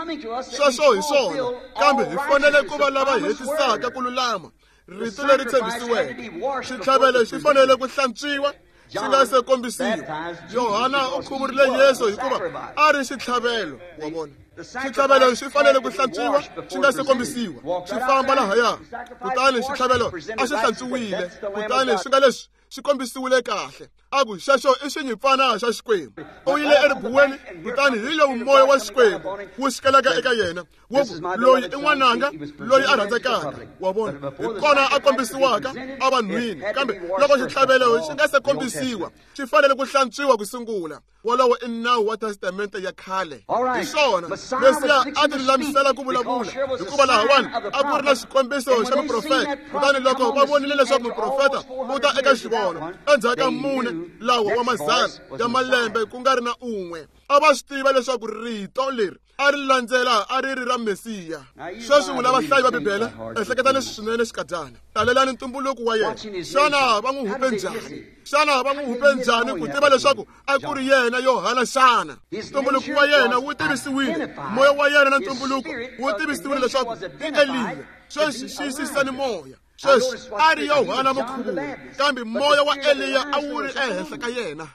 sweswo hi swona, kambe hi fanele ku va lava hetisaka ku lulama, rito leri tshembisiweke. Xitlhavelo xi fanele ku hlantswiwa xi nga se kombisiwa. Yohana u khuvurile Yesu hikuva a ri xitlhavelo, wa vona. Xitlhavelo xi fanele ku hlantswiwa xi nga se kombisiwa, xi famba lahaya. Kutani xitlhavelo a xi hlantswiwile, kutani swi nga leswi xi kombisiwile kahle. A ku xexo i xinyimpfana xa Xikwembu. U yile eribuweni, kutani hi lowu moya wa Xikwembu wu xikelaka eka yena, wu ku, loyi i n'wananga loyi a rhandzekaka, wa vona. Hi kona a kombisiwaka evanhwini, kambe loko xitlhavelo xi nga se kombisiwa, xi fanele ku hlantswiwa ku sungula. Wolowo i nawu wa testamente ya khale. Hi swona Mesiya a ti lulamisela ku vulavula, hikuva lahawani a ku ri na xikombiso xa muprofeta. Kutani loko va vonile leswaku muprofeta u ta eka xivono endzhaku ka 4 lawa wa mazana ya malembe ku nga ri na un'we, a va swi tiva leswaku rito leri a ri landzela a ri ri ra Mesiya. Sweswi n'wina vahlayi va Bibele, ehleketani swinene xikadyana. Talelani ntumbuluko wa yena. Xana va n'wi hupe njhani? Xana va n'wi hupe njhani ku tiva leswaku a ku ri yena Yohana xana? Ntumbuluko wa yena wu tivisiwile, moya wa yena na ntumbuluko wu tivisiwile leswaku i Eliya. Sweswi xiyisisani moya. Sweswi a ri Yohana mukhuvuri, kambe moya wa Eliya a wu ri ehenhla ka yena.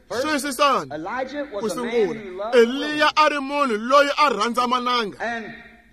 Xiyisisani, ku sungula, Eliya a ri munhu loyi a rhandza mananga,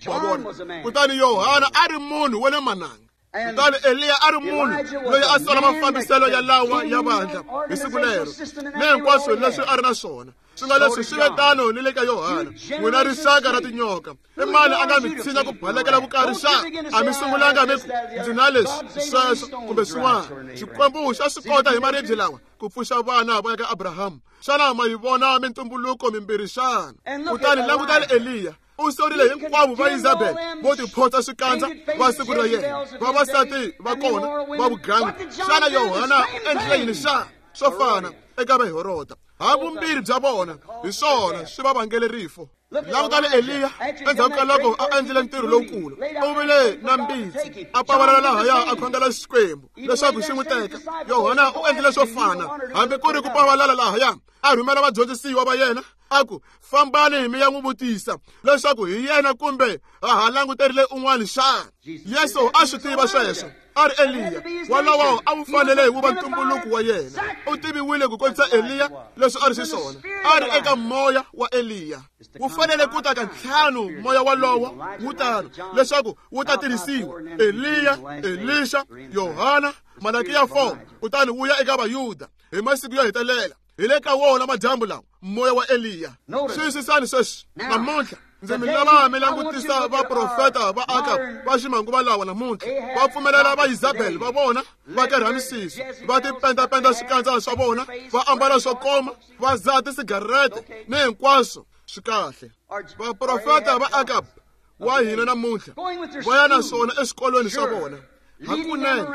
wa vona. Kutani Yohana a ri munhu wa le mananga. Kutani Eliya a ri munhu loyi a sola mafambiselo ya lawa ya vandla hi siku lero, ni hinkwaswo leswi a ri na swona. Swi nga leswi swi ve tano ni le ka Yohana. N'wina rixaka ra tinyoka, i mani a nga mi tshinya ku balekela vukarhi xana? A mi sungulanga mi ku, ndzi na leswi, sweswo, kumbe swin'wana. Xikwembu xa swi kota hi maribye lawa ku pfuxa vana va ya ka Abrahamu. Xana ma yi vona mintumbuluko mimbirhi xana? Kutani langutani Eliya. U sorile hinkwavo va Isabel vo tiphotsa swikandza va siku ra yena, vavasati va kona va vugangu. Xana Yohana u endlile yini xana? Swo fana eka va Heroda. Havumbirhi bya vona hi swona swi va vangele rifo. Langutani Eliya endzhaku ka loko a endlile ntirho lowukulu, u vile na mbitsi, a pavalala lahaya a khongela Xikwembu leswaku xi n'wi teka. Yohana u endlile swo fana, hambi ku ri ku pavalala lahaya a rhumela vadyondzisiwa va yena, a ku, fambani mi ya n'wi vutisa leswaku hi yena kumbe ha ha languterile un'wana xana. Yesu a swi tiva sweswo, a ri Eliya. Wolowo a wu fanele wu va ntumbuluko wa yena. U tiviwile ku kombisa Eliya leswi a ri xiswona, a ri eka moya wa Eliya. Wu fanele ku ta ka ntlhanu moya wolowo wu tano leswaku wu ta tirhisiwa. Eliya, Elisha, Yohana, Malakiya 4, kutani wu ya eka Vayuda hi masiku yo hetelela. Hi le ka wona madyambu lawa moya wa Eliya. Xiyisisani sweswi namuntlha, ndzi mi lava mi langutisa vaprofeta va Akab va ximanguva lawa namuntlha. Va pfumelela va Isabel va vona va karha misisi, va tipendapenda swikandza swa vona, va ambala swo koma, va dzaha tisigarete ni hinkwaswo swi kahle. Vaprofeta va Akab wa hina namuntlha va ya na swona eswikolweni swa vona. Hakunene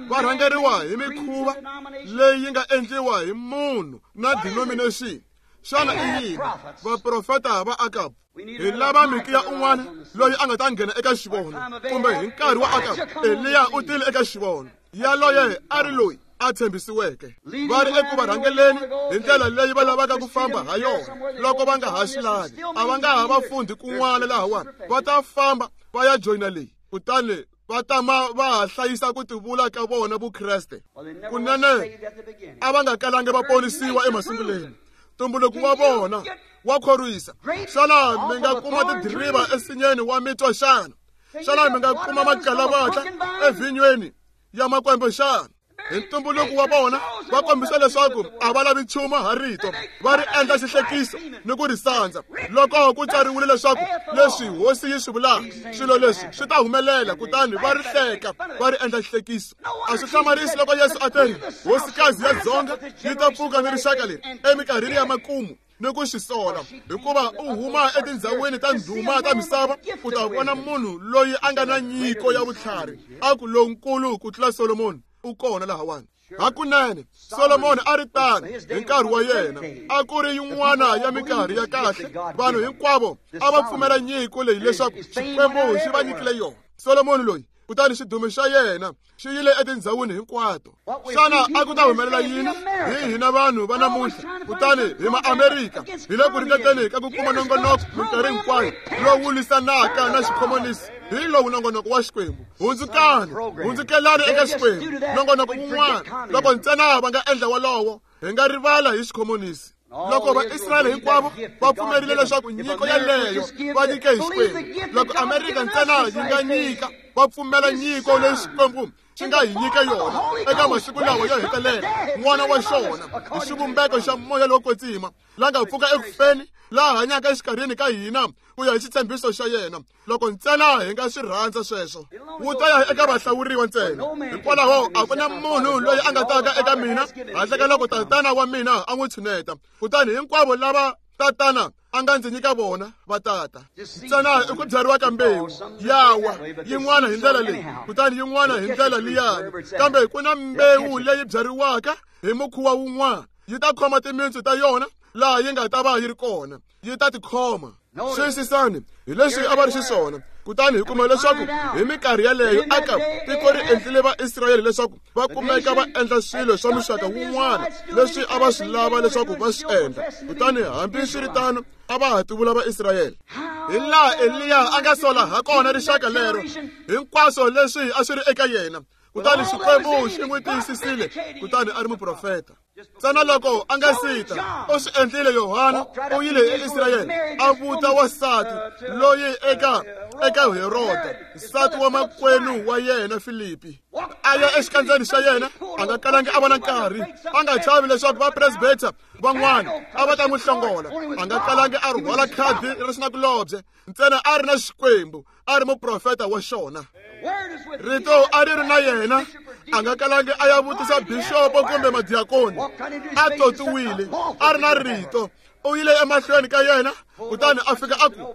va rhangeriwa hi mikhuva leyi yi nga endliwa hi munhu na denomination. Xana i yini? Vaprofeta va Akab. Hi lava Mikiya un'wana loyi a nga ta nghena eka xivono, kumbe hi nkarhi wa Akab, Eliya u tile eka xivono. Yaloye a ri loyi a tshembisiweke. Va ri eku va rhangeleni hi ndlela leyi va lavaka ku famba ha yona. Loko va nga ha swi lavi, a va nga ha va fundhi kun'wana lahawani, va ta famba va ya joyina leyi, kutani va tama va ha hlayisa ku tivula ka vona Vukreste. Kunene a va nga kalangi va ponisiwa emasunguleni. Ntumbuluko wa vona wa khorwisa. Xana mi nga kuma tidiriva ensinyeni wa mitwa xana? Xana mi nga kuma makalavatla evhinyweni ya makwembe xana? Hi ntumbuluko wa vona va kombisa leswaku a va lavi nchumu ha rito, va ri endla xihlekiso ni ku ri sandza. Loko ku tsariwile leswaku leswi hosi yi swi vulaka, swilo leswi swi ta humelela, kutani va ri hleka, va ri endla xihlekiso. A swi hlamarisi loko Yesu a te, hosikazi ya dzonga yi ta pfuka ni rixaka leri eminkarhini ya makumu ni ku xi sola, hikuva u huma etindhawini ta ndhuma ta misava ku ta vona munhu loyi a nga na nyiko ya vutlhari, a ku lonkulu ku tlula Solomoni u kona lahawani. Hakunene Solomoni a ri tano hi nkarhi wa yena, a ku ri yin'wana ya minkarhi ya kahle. Vanhu hinkwavo a va pfumela nyiko leyi leswaku Xikwembu xi va nyikile yona. Solomoni loyi, kutani xidumo xa yena xi yile etindhawini hinkwato. Xana a ku ta humelela yini hi hina vanhu va namuntlha? Kutani hi Maamerika hi le ku ringeteni ka ku kuma nongonoko minkarhi hinkwayo lowu lwisanaka na xikhomonisi. Hi lowu nongonoko wa Xikwembu. Hundzukani, hundzukelani eka Xikwembu. Nongonoko wun'wana loko ntsena va nga endla wolowo, hi nga rivala hi xikhomonisi. Loko Vaisrayele hinkwavo va pfumerile leswaku nyiko yaleyo va nyike hi Xikwembu, loko Amerika ntsena yi nga nyika, va pfumela nyiko leyi Xikwembu xi nga hi nyika yona eka masiku lawa yo hetelela, n'wana wa xona hi xivumbeko xa moya lowo kwetsima la nga pfuka ekufeni, laha hanyaka exikarhini ka hina ku ya hi xitshembiso xa yena. Loko ntsena hi nga swi rhandza sweswo, wu ta ya eka vahlawuriwa ntsena. Hikwalaho a ku na munhu loyi a nga taka eka mina handle ka loko Tatana wa mina a n'wi tshuneta. Kutani hinkwavo lava Tatana a nga ndzi nyika vona va tata. Ntsena i ku byariwa ka mbewu yawa, yin'wana hi ndlela leyi, kutani yin'wana hi ndlela liyani. Kambe ku na mbewu leyi byariwaka hi mukhuva wun'wana, yi ta khoma timintsu ta yona laha yi nga ta va yi ri kona, yi ta tikhoma. Xiyisisani hi leswi a va ri xiswona. Kutani hi kuma leswaku hi minkarhi yaleyo aka tiko ri endlile Vaisrayele leswaku va kumeka va endla swilo swa muxaka wun'wana leswi a va swi lava leswaku va swi endla. Kutani hambiswiritano a va ha tivula Vaisrayele. Hi laha Eliya a nga sola ha kona rixaka lero, hinkwaswo leswi a swi ri eka yena. Kutani Xikwembu xi n'wi tiyisisile, kutani a ri muprofeta. Ntsena loko a nga sita, u swi endlile. Yohana u yile eIsrayele a vuta wansati loyi eka Heroda, nsati wa makwenu wa yena Filipi. A ya exikandzeni xa yena, a nga kalangi a va na nkarhi, a nga chavi leswaku vapresbeta van'wana a va ta n'wi hlongola. A nga kalangi a rhwala khadi ra xinakulobye, ntsena a ri na Xikwembu, a ri muprofeta wa xona. Rito a ri ri na yena, a nga kalangi a ya vutisa bixopo kumbe madiakoni. A totiwile, a ri na rito. U yile emahlweni ka yena, kutani a fika a ku,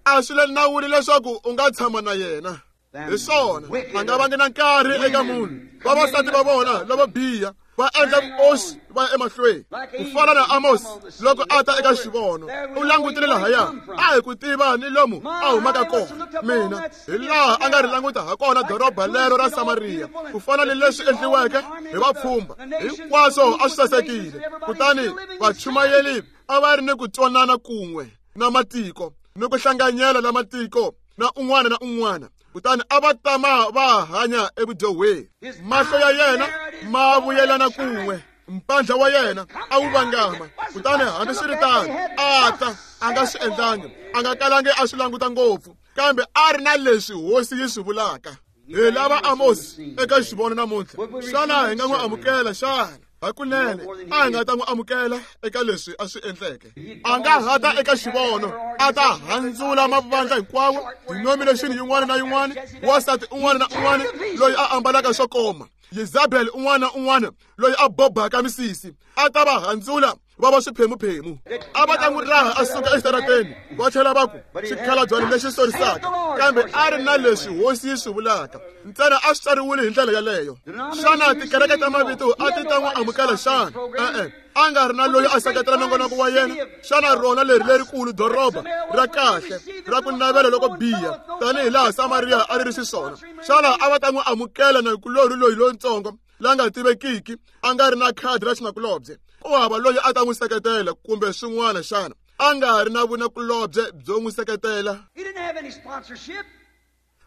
a swi le nawini leswaku u nga tshama na yena. Hi swona, a nga vangi na nkarhi eka munhu. Vavasati va vona lavo biha va endla vuoxi va ya emahlweni. Ku fana na Amos loko a ta eka xivono, u langutile lahaya, a hi ku tiva ni lomu a humaka kona. Mina hi laha a nga ri languta ha kona doroba lero ra Samariya, ku fana ni leswi endliweke hi vapfhumba, hinkwaswo a swi sasekile. Kutani vachumayeli a va ri ni ku twanana kun'we na matiko ni ku hlanganyela na matiko na un'wana na un'wana. Kutani a va tama va hanya evudyohweni. Mahlo ya yena ma vuyelana kun'we, mpandla wa yena a wu vangama. Kutani hambiswiritano a ta a nga swi endlangi, a nga kalangi a swi languta ngopfu, kambe a ri na leswi hosi yi swi vulaka. Hi lava Amos eka xivono namuntlha. Xana hi nga n'wi amukela xana? Hakunene a hi nga ta n'wi amukela eka leswi a swi endleke. A nga ha ta eka xivono, a ta handzula mavandla hinkwawo, denomination yin'wana na yin'wana, wansati un'wana na un'wana loyi a ambalaka swo koma, Yezabel un'wana na un'wana loyi a bobaka misisi, a ta va handzula va va swiphemuphemu. A va ta n'wi raha a suka exitarateni, va tlhela va ku xikhalabyana lexi sorisaka. Kambe a ri na leswi hosi yi swi vulaka, ntsena a swi tsariwile hi ndlela yaleyo. Xana tikereke ta mavito a ti ta n'wi amukela xana? E-e, a nga ri na loyi a seketela nongonoko wa yena. Xana rona leri lerikulu doroba ra kahle ra ku navela loko biha tanihi laha Samariya a ri ri xiswona, xana a va ta n'wi amukela nakulorhi loyi lontsongo la nga tivekiki, a nga ri na khadi ra xinakulobye? Ku hava loyi a ta n'wi seketela kumbe swin'wana xana? A nga ri na vunakulobye byo n'wi seketela.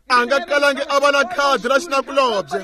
A nga kalangi a va na khadi ra xinakulobye.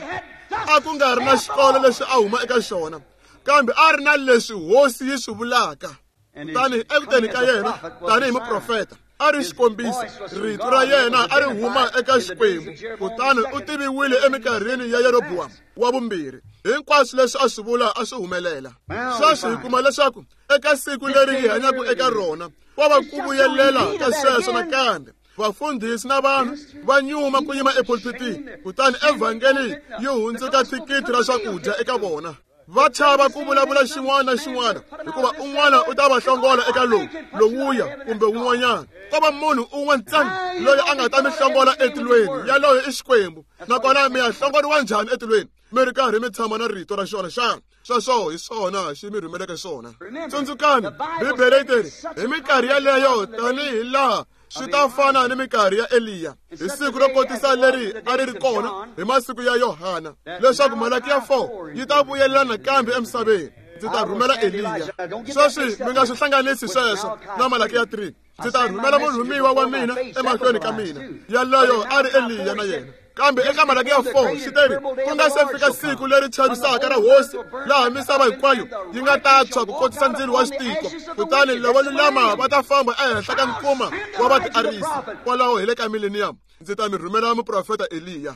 A ku nga ri na xikolo lexi a huma eka xona, kambe a ri na leswi hosi yi swi vulaka. Kutani ekuteni ka yena tanihi muprofeta a ri xikombiso, rito ra yena a ri huma eka Xikwembu. Kutani u tiviwile eminkarhini ya Yerobowamu wa vumbirhi. Hinkwaswo leswi a swi vula a swi humelela. Sweswi hi kuma leswaku eka siku leri hi hanyaka eka rona, wa va ku vuyelela ka sweswo nakambe. Vafundhisi na vanhu va nyuma ku yima epulpitini, kutani evhangeli yi hundzuka thikithi ra swakudya eka vona. Va chava ku vulavula xin'wana na xin'wana, hikuva un'wana u ta va hlongola eka lowu, lowuya kumbe wun'wanyana. Ko va munhu un'we ntsena loyi a nga ta mi hlongola etilweni, yaloyo i Xikwembu. Nakona mi ya hlongoriwa njhani etilweni mi ri karhi mi tshama na rito ra xona xana? Sweswo hi swona xi mi rhumeleke swona. Tsundzukani, Bibele yi teri hi minkarhi yaleyo, tanihi laha swi ta fana ni minkarhi ya Eliya, hi siku ro kotisa leri a ri ri kona hi masiku ya Yohana, leswaku Malakiya 4 yi ta vuyelelana nakambe emisaveni. Ndzi ta rhumela Eliya. Sweswi mi nga swi hlanganisi sweswo na Malakiya 3. Ndzi ta rhumela murhumiwa wa mina emahlweni ka mina. Yaloyo a ri Eliya na yena. Kambe eka Malakiya 4 xi teri ku nga se fika siku leri chavisaka ra hosi laha misava hinkwayo yi nga ta tshwa ku kotisa ndzilo wa xitiko, kutani lavo lulama va ta famba ehenhla ka nkuma wa vatiarisi. Kwalaho hi le ka millennium ndzi ta mi rhumela muprofeta Eliya.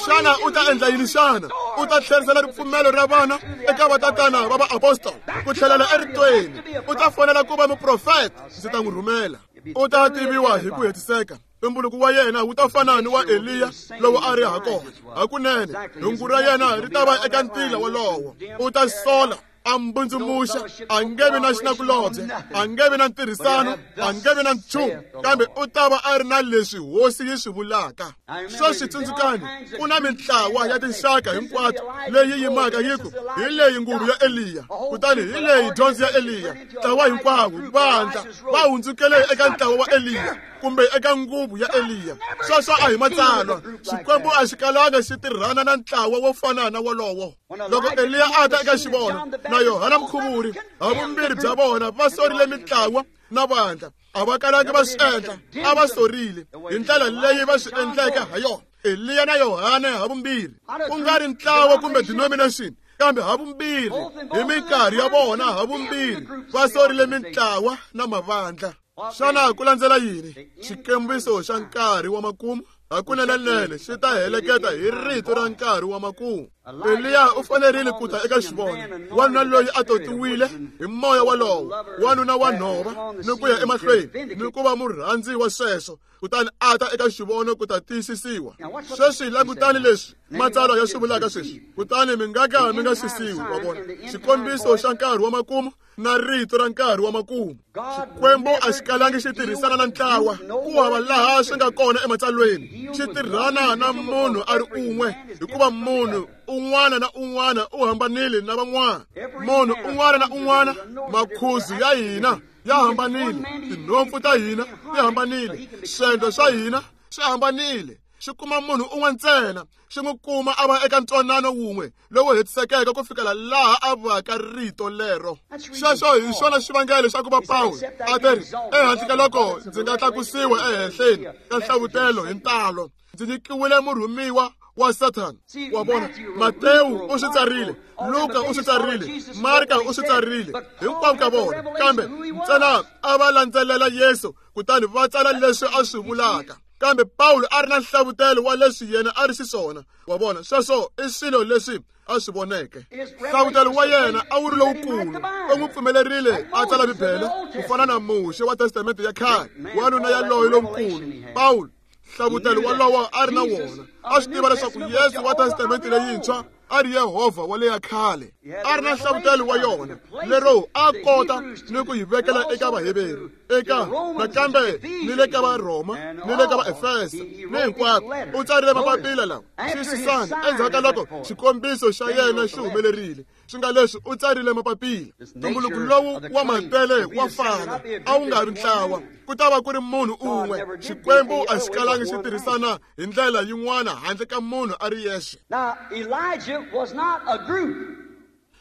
Xana u ta endla yini xana? U ta tlherisela ripfumelo ra vana eka vatatana va vaapostoli ku tlhelela eritweni. U ta fanela ku va muprofeta. Ndzi ta n'wi rhumela. U ta tiviwa hi ku hetiseka. Ntumbuluko wa yena wu ta fana ni wa Eliya lowu a ri ha kona. Hakunene hungu ra yena ri ta va eka ntila wolowo. U ta sola, a mbundzumuxa, a nge vi na xinakulobye, a nge vi na ntirhisano, a nge vi na nchumu, kambe u ta va a ri na leswi hosi yi swi vulaka. Sweswi tsundzukani, ku na mintlawa ya tinxaka hinkwato leyi yimaka yi ku hi leyi nguvu ya Eliya, kutani hi leyi dyondzo ya Eliya. Ntlawa hinkwawo vandla va hundzukele eka ntlawa wa Eliya kumbe eka nguvu ya Eliya. Sweswo a hi matsalwa. Xikwembu a xi kalanga xi tirhana na ntlawa wo fana na wolowo. Loko Eliya a ta eka xivono na Yohana Mukhuvuri, havumbirhi bya vona va sorile mintlawa na vandla. A va kalangi va swi endla, a va sorile hi ndlela leyi va swi endleke ha yona. Eliya na Yohana havumbirhi, ku nga ri ntlawa kumbe denomination, kambe havumbirhi hi minkarhi ya vona havumbirhi va sorile mintlawa na mavandla. Xana ku landzela yini? Xikombiso xa nkarhi wa makumu hakunene xi ta heleketa hi rito ra nkarhi wa makumu. Eliya u fanerile ku ta eka xivono, wanuna loyi a totiwile hi moya wolowo, wanuna wa nhova ni ku ya emahlweni ni ku va murhandzi wa sweswo, kutani a ta eka xivono ku ta tiyisisiwa. Sweswi langutani leswi matsalwa ya swi vulaka sweswi, kutani mi nga ka mi nga xisiwi. Wa vona, xikombiso xa nkarhi wa makumu na rito ra nkarhi wa makumu. Xikwembu a xi kalangi xi tirhisana na ntlawa, ku hava laha swi nga kona ematsalweni. Xi tirhana na munhu a ri un'we, hikuva munhu un'wana na un'wana u hambanile na van'wana. Munhu un'wana na un'wana, makhuzu ya hina ya hambanile, tinhompfu ta hina ti hambanile, swendlo swa hina swi hambanile. Xi kuma munhu un'we ntsena, xi n'wi kuma a va eka ntwanano wun'we lowu hetisekeke ku fikela laha a vaka rito lero. Sweswo hi xona xivangelo xa ku va Pawulo a teri, ehansi ka loko ndzi nga tlakusiwa ehenhleni ka nhlavutelo hi ntalo, ndzi nyikiwile murhumiwa wa Sathana. Wa vona, Matewu u swi tsarile, Luka u swi tsarile, Marka u swi tsarile, hinkwavo ka vona, kambe ntsena a va landzelela Yesu kutani va tsala leswi a swi vulaka. Kambe Pawulo a ri na nhlavutelo wa leswi yena a ri xiswona. Wa vona, sweswo i swilo leswi a swi voneke. Nhlavutelo wa yena a wu ri lowukulu. U n'wi pfumelerile a tsala Bibele ku fana na Muxe wa Testamente ya khale, wanuna yaloye lonkulu. Pawulo nhlavutelo wolowo a ri na wona. A swi tiva leswaku Yesu wa Testamente leyintshwa a ri Yehovha wa leya khale. A ri na nhlavutelo wa yona lero a kota ni ku yi vekela eka Vaheveru, eka nakambe ni le ka Varhoma ni le ka Vaefesa ni hinkwako. U tsarile mapapila lawa. Xiyisisani, endzhaku ka loko xikombiso xa yena xi humelerile, swi nga leswi u tsarile mapapila. Ntumbuluko lowu wa matele wa fana, a wu nga ri ntlawa, ku ta va ku ri munhu un'we. Xikwembu a xi kalangi xi tirhisana hi ndlela yin'wana handle ka munhu a ri yexe.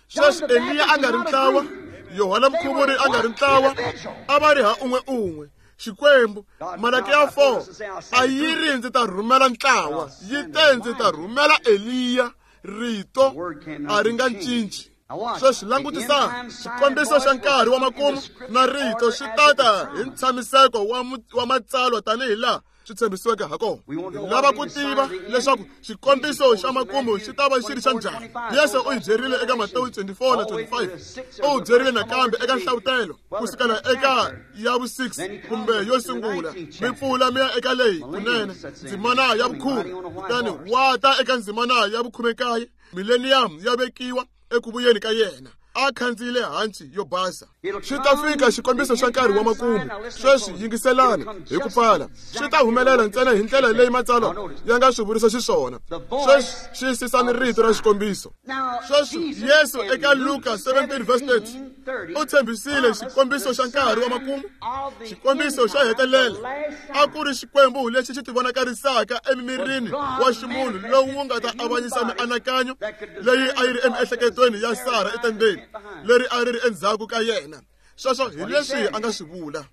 Sweswi Eliya a nga ri ntlawa, Yohana Mukhuvuri a nga ri ntlawa, a va ri ha un'we un'we. Xikwembu, Malakiya 4 a yi ri ndzi ta rhumela ntlawa, yi te ndzi ta rhumela Eliya. Rito a ri nga cinci. Sweswi langutisani, xikombiso xa nkarhi wa makumu na rito swi tata hi ntshamiseko wa matsalwa tanihi laha swi tshembisiweke ha kona. Hi lava ku tiva leswaku xikombiso xa makumu xi ta va xi ri xa njhani. Yesu u hi byerile eka Matewu 24 na 25. U byerile nakambe eka nhlavutelo ku sukela eka ya vu-6 kumbe yo sungula, mi pfula mi ya eka leyi kunene ndzimana ya vukhume, kutani wa ta eka ndzimana ya vukhume-nkaye. Millennium ya vekiwa eku vuyeni ka yena a khandziyile hanci yo basa. Xi ta fika xikombiso xa nkarhi wa makumu. Sweswi yingiselani hi ku pfala. Xi ta humelela ntsena hi ndlela leyi matsalwa ya nga swi vurisa xiswona. Sweswi xiyisisani rito ra xikombiso. Sweswi Yesu eka Luka 17 verse 30 u tshembisile xikombiso xa nkarhi wa makumu, xikombiso xa hetelela. A ku ri Xikwembu lexi xi tivonakarisaka emimirini wa ximunhu lowu wu nga ta avanyisa mianakanyo leyi a yi ri emiehleketweni ya Sara etendeni. leri a ri ri endzhaku ka yena. Sweswo hi leswi a nga swi vula.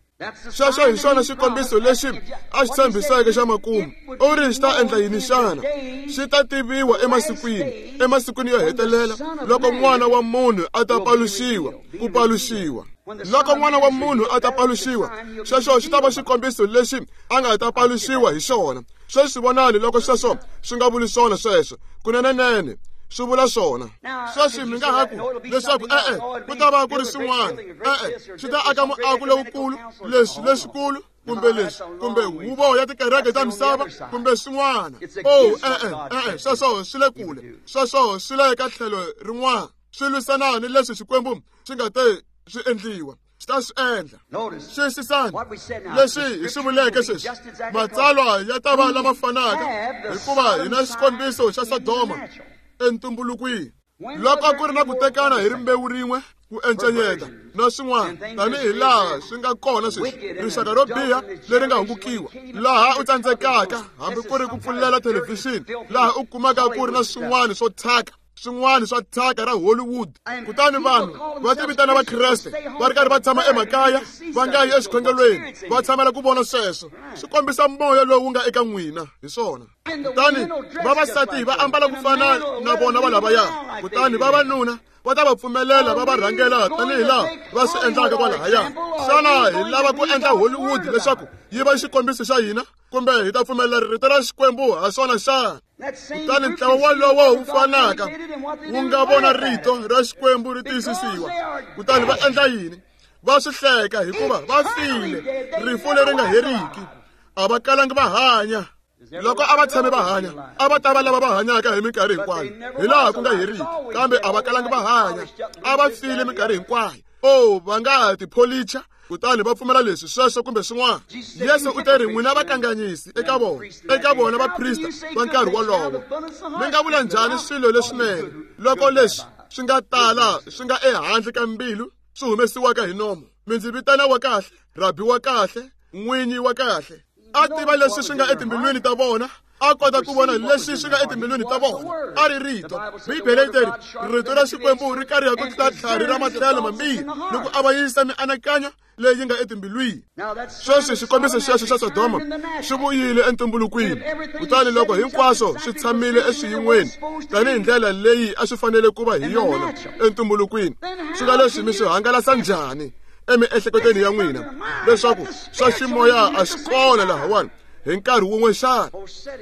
Sweswo hi xona xikombiso lexi a xi tshembiseke xa makumu. U ri xi ta endla yini xana? Xi ta tiviwa emasikwini, emasikwini yo hetelela, loko N'wana wa Munhu a ta paluxiwa, ku paluxiwa. Loko N'wana wa Munhu a ta paluxiwa, sweswo xi ta va xikombiso lexi a nga ta paluxiwa hi xona. Sweswi vonani loko sweswo swi nga vuli swona sweswo. Kunenenene swi vula swona. Sweswi mi nga ha ku leswaku e-e, ku ta va ku ri swin'wana. E-e, swi ta aka muako lowukulu, leswi leswikulu, kumbe leswi, kumbe huvo ya tikereke ta misava, kumbe swin'wana. Oh, e-e, e-e, sweswo swi le kule. Sweswo swi le ka tlhelo rin'wana. Swi lwisana ni leswi Xikwembu xi nga te swi endliwa. Swi ta swi endla. Xiyisisani leswi hi swi vuleke sweswi. Matsalwa ya ta va lama fanaka hikuva hi na xikombiso xa Sodoma entumbulukwini. Loko ku ri na ku tekana hi rimbewu rin'we, ku encenyeta na swin'wana, tanihi laha swi nga kona sweswi, rixaka ro biha leri nga hungukiwa, laha u tsandzekaka hambi ku ri ku pfulela thelevhixini, laha u kumaka ku ri na swin'wana swo thyaka, swin'wana swa thyaka ra Hollywood. Kutani vanhu va tivitana Vakreste va ri karhi va tshama emakaya, va nga yi exikhongelweni, va tshamela ku vona sweswo. Swi kombisa moya lowu nga eka n'wina hi swona. Kutani vavasati va ambala ku fana na vona va lavaya, kutani vavanuna va ta va pfumelela va va rhangela tanihi laha va swi endlaka kwalahaya. Xana hi lava ku endla Hollywood leswaku yi va xikombiso xa hina, kumbe hi ta pfumelela rito ra Xikwembu ha swona xana? Kutani ntlawa wolowo wu fanaka wu nga vona rito ra Xikwembu ri tiyisisiwa, kutani va endla yini? Va swi hleka hikuva va file rifu leri nga heriki. A va kalangi va hanya. Loko a va tshame va hanya, a va ta va lava va hanyaka hi minkarhi hinkwayo, hi laha ku nga heriki. Kambe a va kalangi va hanya, a va file minkarhi hinkwayo. Oh, va nga tipholicha kutani va pfumela leswi, sweswo kumbe swin'wana. Yesu u te ri, n'wina vakanganyisi eka vona, eka vona vaprista va nkarhi wolowo. Mi nga vula njhani swilo leswinene loko leswi swi nga tala swi nga ehandle ka mbilu swi humesiwaka hi nomo? Mi ndzi vitana wa kahle, rabi wa kahle, n'winyi wa kahle. A tiva leswi swi nga etimbilwini ta vona, a kota ku vona leswi swi nga etimbilwini ta vona. A ri rito. Bibele yi teri rito ra Xikwembu ri kariha ku tlula tlhari ra matlhelo mambirhi ni ku avanyisa mianakanyo leyi nga etimbilwini. Sweswi xikombiso xexo xa Sodoma xi vuyile entumbulukwini. Kutani loko hinkwaswo swi tshamile eswiyin'weni tanihi ndlela leyi a swi fanele ku va hi yona entumbulukwini, swi nga leswi mi swi hangalasa njhani emiehleketweni ya n'wina leswaku swa ximoya a swi kona lahawani hi nkarhi wun'we xana?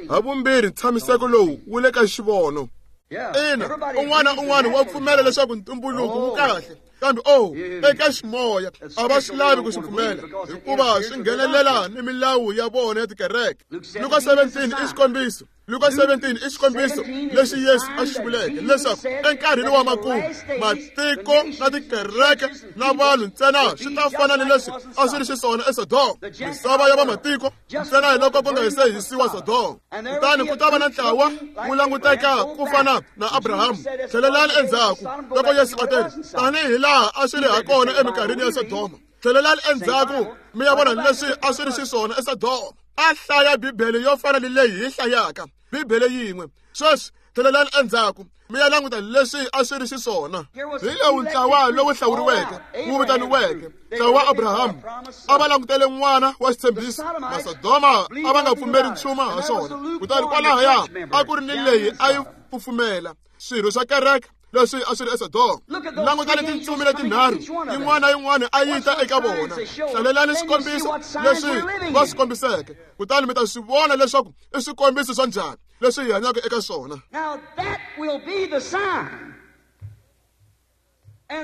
Havumbirhi ntshamiseko lowu wu le ka xivono. Ina, un'wana na un'wana wa pfumela leswaku ntumbuluko wu kahle, kambe oh, eka ximoya a va swi lavi ku swi pfumela hikuva swi nghenelela ni milawu ya vona ya tikereke. Luka 17 i xikombiso. Luka 17 i xikombiso lexi Yesu a xi vuleke leswaku enkarhini wa makumu matiko na tikereke na vanhu ntsena swi ta fana ni leswi a swi ri xiswona eSodoma, misava ya vamatiko ntsena hi loko ku nga se hisiwa Sodoma. Kutani ku ta va na ntlawa wu languteka ku fana na Abrahamu. Tlhelelani endzhaku loko Yesu a teri tanihi laha a swi ri ha kona eminkarhini ya Sodoma. Tlhelelani endzhaku mi ya vona leswi a swi ri xiswona eSodoma. A hlaya Bibele yo fana ni leyi hi hlayaka Bibele yin'we. Sweswi tlhelelani endzhaku mi ya languta leswi a swi ri xiswona. Hi lowu ntlawa lowu hlawuriweke wu vitaniweke ntlawa wa Abrahamu. A va langutele n'wana wa xitshembiso. Masodoma a va nga pfumeri nchumu ha swona. Kutani kwalahaya a ku ri ni leyi a yi pfumela swirho swa kereke leswi a swi ri eSodoma. Langutani tintsumi letinharhu, yin'wana na yin'wana a yi ta eka vona. Hlalelani swikombiso leswi va swi kombiseke, kutani mi ta swi vona leswaku i swikombiso swa njhani leswi hi hanyaka eka swona.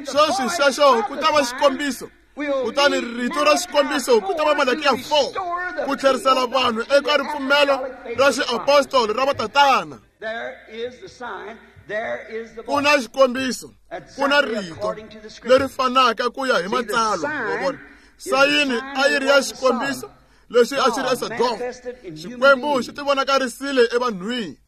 Sweswi xexo ku ta va xikombiso, kutani rito ra xikombiso ku ta va Malakiya 4, ku tlherisela vanhu eka ripfumelo ra xiapostolo ra vatatana. Ku na xikombiso, ku na rito leri fanaka ku ya hi matsalwa. Wa vona, sayini a yi ri ya xikombiso lexi a xi ri eSodoma. Xikwembu xi tivonakarisile evanhwini.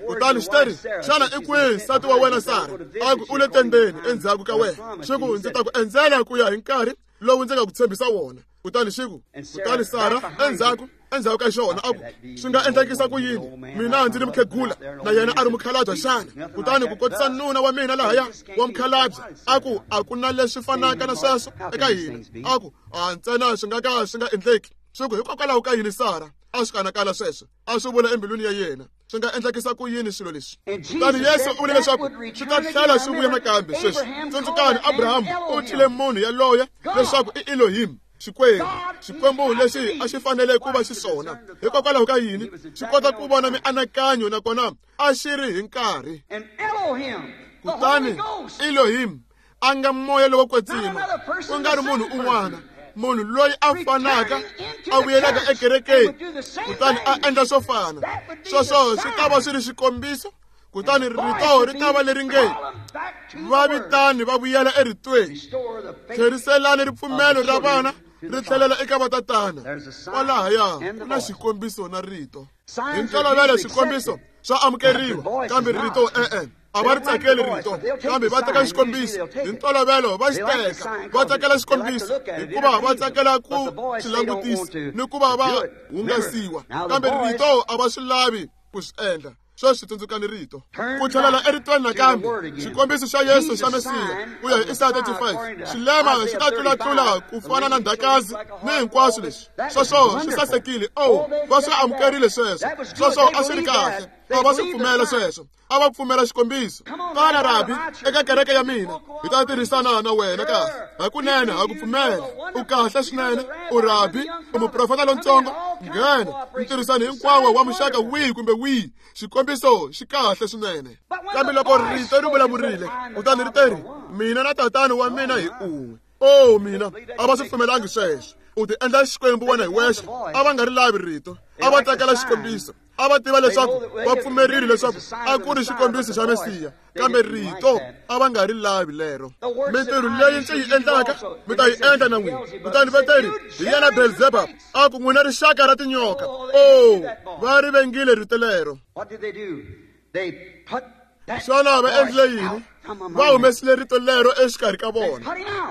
Kutani xi teri, xana i kwihi nsati wa wena Sara? A ku, u le tendeni endzhaku ka wena. Xi ku, ndzi ta ku endzela ku ya hi nkarhi lowu ndzi nga ku tshembisa wona. Kutani xi ku, kutani Sara endzhaku endzhaku ka xona a ku swi nga endlekisa ku yini mina ndzi ri mukhegula na yena a ri mukhalabye xana kutani ku kotisa nuna wa mina lahaya wa mukhalabye a ku a ku na leswi fanaka na sweswo eka hina a ku a ntsena swi nga ka swi nga endleki swi ku hikokwalaho ka yini Sara a swi kanakana sweswo a swi vula embilwini ya yena swi nga endlekisa ku yini swilo leswi kutani Yesu u vule leswaku swi ta tlhela swi vuya nakambe sweswi tsundzukani Abrahamu u thyile munhu yaloye leswaku i Elohim Xikwembu Xikwembu lexi a xi fanele ku va xiswona hikokwalaho ka yini xi kota ku vona mianakanyo nakona a xi ri hi nkarhi kutani Elohim a nga moya lowo kwetsima ku nga ri munhu un'wana munhu loyi a fanaka a vuyelaka ekerekeni kutani a endla swo fana sweswo swi ta va swi ri xikombiso kutani rito ri ta va leri nge va vitani va vuyela eritweni tlheriselani ripfumelo ra vana ri tlhelela eka vatatana kwalahaya ku na xikombiso na rito hi ntolovelo swikombiso swa amukeriwa kambe rito e-e a va ri tsakeli rito kambe va teka xikombiso hi ntolovelo va xi teka va tsakela xikombiso hikuva va tsakela ku xi langutisa ni ku va va hungasiwa kambe rito a va swi lavi ku swi endla sweswi tsundzukani rito ku tlhelela eritweni nakambe xikombiso xa Yesu xa Mesiya ku ya hi Isaya 35 xilema xi ta tlulatlula ku fana na ndhakazi ni hinkwaswo leswi sweswo swi sasekile o va swi amukerile sweswo sweswo a swi ri kahle a va swi pfumela sweswo a va pfumela xikombiso tana rabi eka kereke ya mina hi ta tirhisana na wena kahle hakunene ha ku pfumela u kahle swinene u rabi u muprofeta lontsongo nghena ntirhisano hinkwawo wa muxaka wihi kumbe wihi xikombiso xi kahle swinene kambe loko rito ri vulavurile kutani ri teri mina na tatani wa mina hi un'we o mina a va swi pfumelangi sweswo u ti endla xikwembu wena hi wexe a va nga ri lavi rito a va tsakela xikombiso a va tiva leswaku va pfumerile leswaku a ku ri xikombiso xa Mesiya kambe rito a va nga ri lavi lero mintirho leyi ndzi yi endlaka mi ta yi endla na n'wina kutani va teri hi yena Belzebub a ku n'wina rixaka ra tinyoka o va ri vengile rito lero xana va endlile yini va humesile rito lero exikarhi ka vona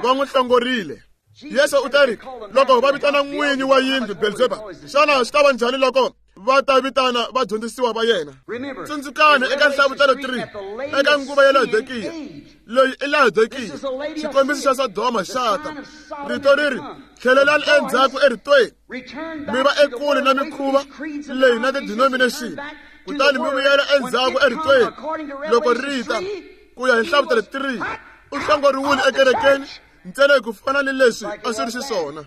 va n'wi hlongorile Yesu u teri loko va vitana n'winyi wa yindlu Belzebub xana swi ta va njhani loko va ta vitana vadyondzisiwa va yena tsundzukani eka nhlavutelo 3 eka nguva ya Laodikiya leyi i Laodikiya xikombiso xa Sodoma xa ta rito ri ri tlhelelani endzhaku eritweni mi va ekule na mikhuva leyi na ti-denomination kutani mi vuyela endzhaku eritweni loko ri ta ku ya hi nhlavutelo 3 u hlongoriwile ekerekeni ntsena hi ku fana ni leswi a swi ri xiswona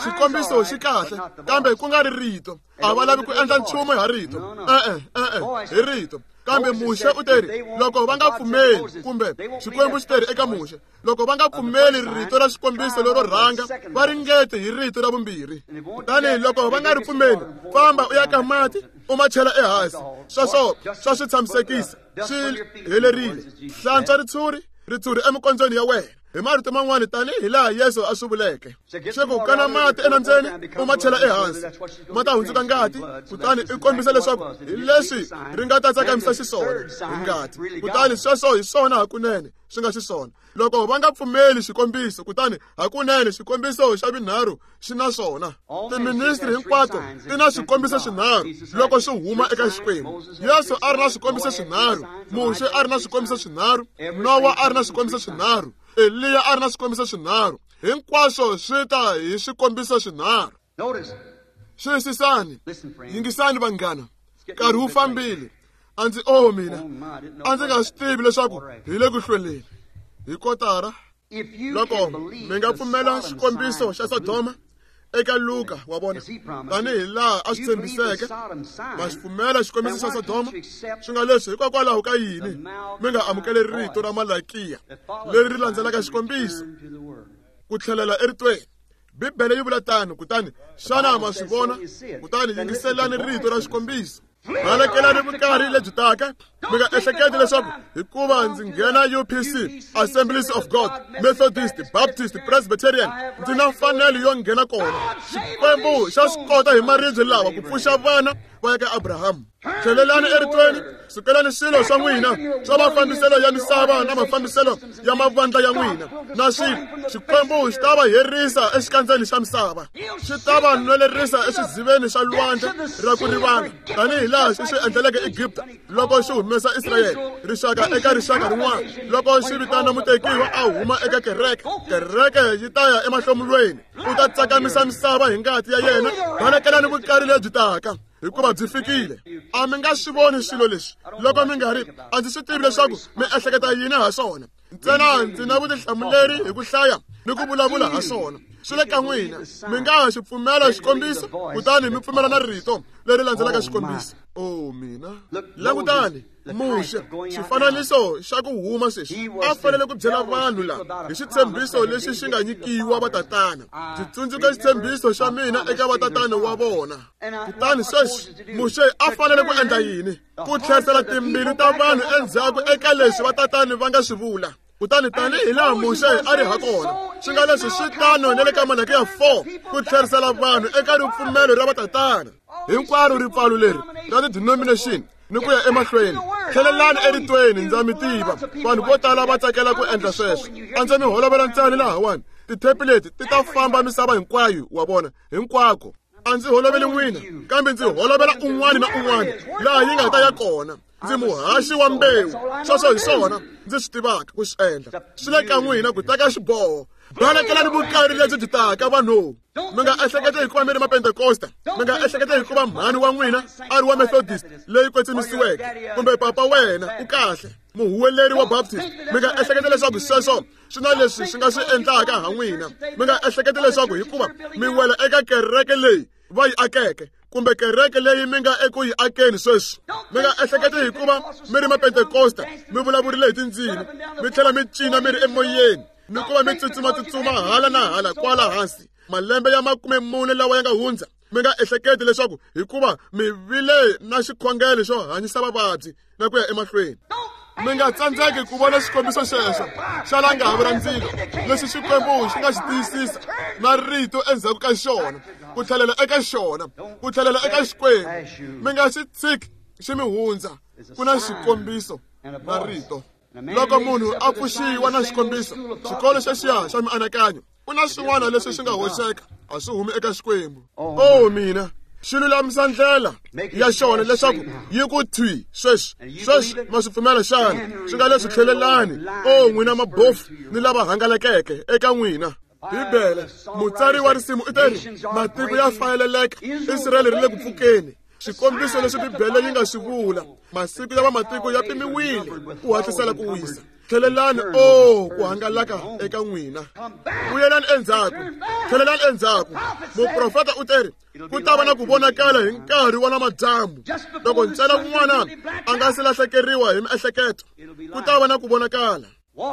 xikombiso xi kahle kambe ku nga ri rito a va lavi ku endla nchumu ha rito e-e e-e hi rito kambe Muxe u teri loko va nga pfumeli kumbe Xikwembu xi teri eka Muxe loko va nga pfumeli rito ra xikombiso lero rhanga va ringete hi rito ra vumbirhi kutani loko va nga ri pfumeli famba u ya ka mati u ma chela ehansi sweswo swa swi tshamisekisa swi helerile hlantswa ritshuri emikondzweni ya wena hi marito man'wani tanihi laha Yesu a swi vuleke swi ku kana mati enambyeni u ma chela ehansi ma ta hundzuka ngati kutani i kombisa leswaku hi leswi ri nga ta tsakamisa xiswona hi ngati kutani sweswo hi swona hakunene swi nga xiswona loko va nga pfumeli xikombiso kutani hakunene xikombiso xa vinharhu xi na swona tiministri hinkwato ti na swikombiso swinharhu loko swi huma eka Xikwembu Yesu a ri na swikombiso swinharhu Muxe a ri na swikombiso swinharhu Nowa a ri na swikombiso swinharhu Eliya a ri na swikombiso swinharhu hinkwaswo swi ta hi swikombiso swinharhu xiyisisani yingisani vanghana nkarhi wu fambile a ndzi o mina a ndzi nga swi tivi leswaku hi le ku hlweleni hi kotara loko mi nga pfumela xikombiso xa Sodoma eka Luka wa vona tanihi laha a swi tshembiseke ma xi pfumela xikombiso xa Sodoma swi nga leswi hikokwalaho ka yini mi nga amukeli rito ra Malakiya leri ri landzelaka xikombiso ku tlhelela eritweni Bibele yi vula tano kutani xana ma swi vona kutani yingiselani rito ra xikombiso balekelani vukarhi lebyi taka mi nga ehleketi leswaku hikuva ndzi nghena UPC Assemblies of God Methodist Baptist Presbyterian ndzi na mfanelo yo nghena kona Xikwembu xa swi kota hi maribye lawa ku pfuxa vana va ya ka Abrahamu. Tlhelelani eritweni, sukelani swilo swa n'wina swa mafambiselo ya misava na mafambiselo ya mavandla ya n'wina na swilo. Xikwembu xi ta va herisa exikandzeni xa misava, xi ta va nwelerisa eswiziveni swa lwandle ra ku rivala, tanihi laha xi swi endleleke Egipta loko xi humesa Israyele rixaka eka rixaka rin'wana. Loko xi vitana mutekiwa a huma eka kereke, kereke yi ta ya emahlomulweni. U ta tsakamisa misava hi ngati ya yena. Balekelani vukari lebyi taka, hikuva byi fikile. A mi nga swi voni swilo leswi loko mi nga ri. A ndzi swi tivi leswaku mi ehleketa yini ha swona, ntsena ndzi na vutihlamuleri hi ku hlaya ni ku vulavula ha swona. Swi le ka n'wina, mi nga ha xi pfumela xikombiso kutani mi pfumela na rito leri landzelaka xikombiso. O mina, langutani Muxe, xifananiso xa ku huma sweswi a fanele ku byela vanhu lava hi xitshembiso lexi xi nga nyikiwa vatatana. Ndzi tsundzuka xitshembiso xa mina eka vatatana wa vona. Kutani sweswi Muxe a fanele ku endla yini? Ku tlherisela timbilu ta vanhu endzhaku eka leswi vatatani va nga swi vula. Kutani tanihi laha Muxe a ri ha kona, swi nga leswi swi tano na le ka Malaki ya 4, ku tlherisela vanhu eka ripfumelo ra vatatana. Hinkwaro ripfalo leri ra ti-denomination ni ku ya emahlweni. Tlhelelani eritweni, ndza mi tiva vanhu vo tala va tsakela ku endla sweswo. A ndzi mi holovela ntsena lahawani. Tithepi leti ti ta famba misava hinkwayo, wa vona, hinkwako. A ndzi holoveli n'wina, kambe ndzi holovela un'wana na un'wana laha yi nga ta ya kona. Ndzi muhaxi wa mbewu, sweswo hi swona ndzi swi tivaka ku swi endla. Swi le ka n'wina ku teka xiboho. Balekelani vukari lebyi byi taka, vanhu. Mi nga ehleketi hikuva mi ri Mapentekosta, mi nga ehleketi hikuva mhani wa n'wina a ri wa Methodist leyi kwetsimisiweke, kumbe papa wena u kahle muhuweleri wa Baptist. Mi nga ehleketi leswaku sweswo swi na leswi swi nga swi endlaka ha n'wina. Mi nga ehleketi leswaku hikuva mi wela eka kereke leyi va yi akeke, kumbe kereke leyi mi nga eku yi akeni sweswi. Mi nga ehleketi hikuva mi ri Mapentekosta, mi vulavurile hi tindzimi, mi tlhela mi cina mi ri emoyeni, ni ku va mi tsutsuma-tsutsuma hala na hala kwala hansi malembe ya 40 lawa ya nga hundza. Mi nga ehleketi leswaku hikuva mi vile na xikhongelo xo hanyisa vavabyi na ku ya emahlweni. Mi nga tsandzeki ku vona xikombiso xexo xa langavi ra ndzilo lexi Xikwembu xi nga xi tiyisisa na rito endzhaku ka xona, ku tlhelela eka xona, ku tlhelela eka Xikwembu. Mi nga xi tshiki xi mi hundza. Ku na xikombiso na rito. Loko munhu a pfuxiwa na xikombiso, xikolo xexiya xa mianakanyo, ku na swin'wana leswi swi nga hoxeka, a swi humi eka Xikwembu. O mina, xi lulamisa ndlela ya xona leswaku yi ku thwi sweswi. Sweswi ma swi pfumela xana? Swi nga leswi tlhelelani, o n'wina mabofu ni lava hangalakeke eka n'wina. Bibele, mutsari wa risimu u teri, matiko ya fayeleleka, Israyele ri le ku pfukeni. Xikombiso leswi Bibele yi nga swi vula, masiku ya vamatiko ya pimiwile ku hatlisela ku wisa. Tlhelelani, o ku hangalaka eka n'wina. Vuyelani endzhaku, tlhelelani endzhaku. Muprofeta u teri ku ta va na ku vonakala hi nkarhi wa namadyambu, loko ntsena un'wana a nga si lahlekeriwa hi miehleketo, ku ta va na ku vonakala.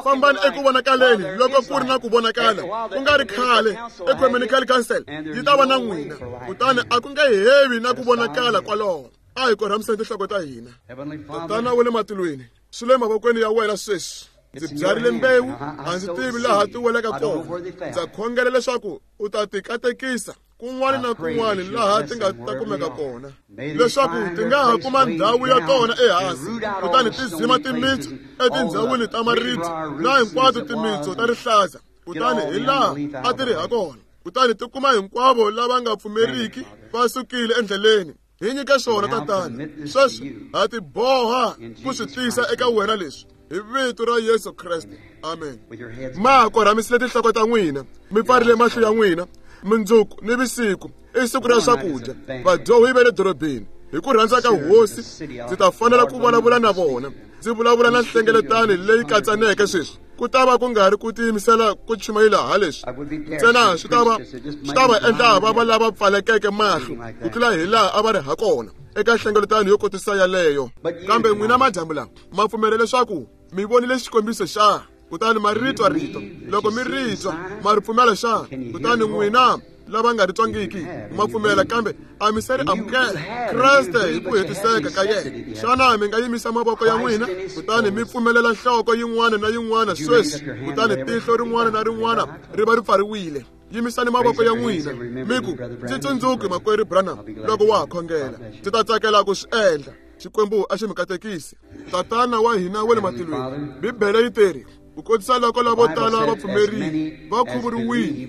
Fambani eku vonakaleni loko ku ri na ku vonakala. Ku nga ri khale Ecumenical Council yi ta va na n'wina, kutani a ku nge hevi na ku vonakala kwaloho. A hi korhamiseni tinhloko ta hina. Tatana wa le matilweni, swi le mavokweni ya wena sweswi. Ndzi byarile mbewu, a ndzi tivi laha ti welaka kona. Ndza khongela leswaku u ta ti katekisa kun'wana na kun'wana laha ti nga ta kumeka kona, leswaku ti nga ha kuma ndhawu ya tona ehansi, kutani ti zima timitsu etindhawini ta maribye na hinkwato timitsu ta rihlaza, kutani hi laha a ti ri ha kona, kutani ti kuma hinkwavo lava nga pfumeriki va sukile endleleni. Hi nyike swona, Tatana. Sweswi ha ti boha ku swi tisa eka wena leswi, hi vito ra Yesu Kreste. Amen. Ma korhamisile tinhloko ta n'wina, mi pfarile mahlo ya n'wina. Mundzuku ni vusiku i siku ra swakudya. Vadyohi va le dorobeni, hi ku rhandza ka Hosi ndzi ta fanela ku vulavula na vona. Ndzi vulavula na nhlengeletano leyi katsaneke sweswi. Ku ta va ku nga ri ku tiyimisela ku chumayela ha leswi ntsena, swi ta va endla va va lava pfalekeke mahlo ku tlula hi laha a va ri ha kona eka nhlengeletano yo kotisa yaleyo. Kambe n'wina madyambu lawa ma pfumela leswaku mi vonile xikombiso xa, kutani ma ri twa rito. Loko mi ri twa, ma ri pfumela xa, kutani n'wina lava nga ri twangiki ma pfumela, kambe a mi se ri amukela Kreste hi ku hetiseka ka yena. Xana mi nga yimisa mavoko ya n'wina kutani mi pfumelela nhloko yin'wana na yin'wana sweswi, kutani tihlo rin'wana na rin'wana ri va ri pfariwile? Yimisani mavoko ya n'wina mi ku, ndzi tsundzuki makwerhu Branham loko wa ha khongela, ndzi ta tsakela ku swi endla. Xikwembu a xi mi katekisi. Tatana wa hina wa le matilweni, Bibele yi teri, ku kotisa loko lavo tala va pfumerile va khuvuriwile.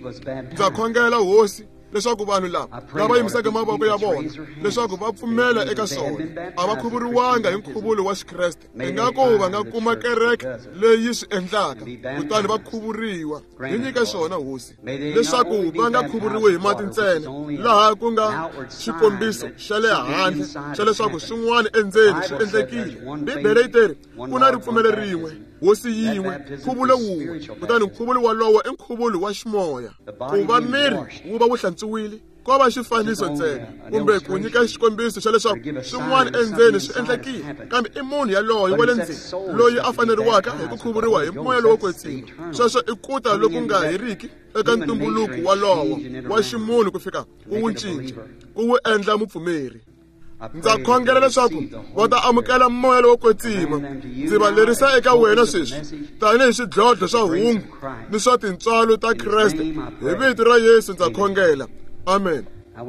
Ndza khongela Hosi leswaku vanhu lava lava yimisaka mavoko ya vona leswaku va pfumela eka swona, a va khuvuriwanga hi nkhuvulo wa Xikreste, ingaku va nga kuma kereke leyi swi endlaka kutani va khuvuriwa. Hi nyika swona Hosi, leswaku va nga khuvuriwi hi mati ntsena, laha ku nga xikombiso xa le handle xa leswaku swin'wana endzeni swi endlekile. Bibele yi teri ku na ripfumelo rin'we, Hosi yin'we, nkhuvulo wun'we, kutani nkhuvulo wolowo i nkhuvulo wa ximoya. Ku va miri wu va wu hlantswiwile ko va xifaniso ntsena, kumbe ku nyika xikombiso xa leswaku swin'wana endzeni swi endlekile, kambe i munhu yaloye wa le ndzeni loyi a faneriwaka hi ku khuvuriwa hi moya lowo kwetsima. Sweswo i ku ta loku nga heriki eka ntumbuluko walowo wa ximunhu ku fika ku wu cinca, ku wu endla mupfumeri. Ndza khongela leswaku va ta amukela moya lowo kwetsima. Ndzi va lerisa eka wena sweswi tanihi swidlodlo swa hungu ni swa tintswalo ta Kreste. Hi vito ra Yesu ndza khongela, amen.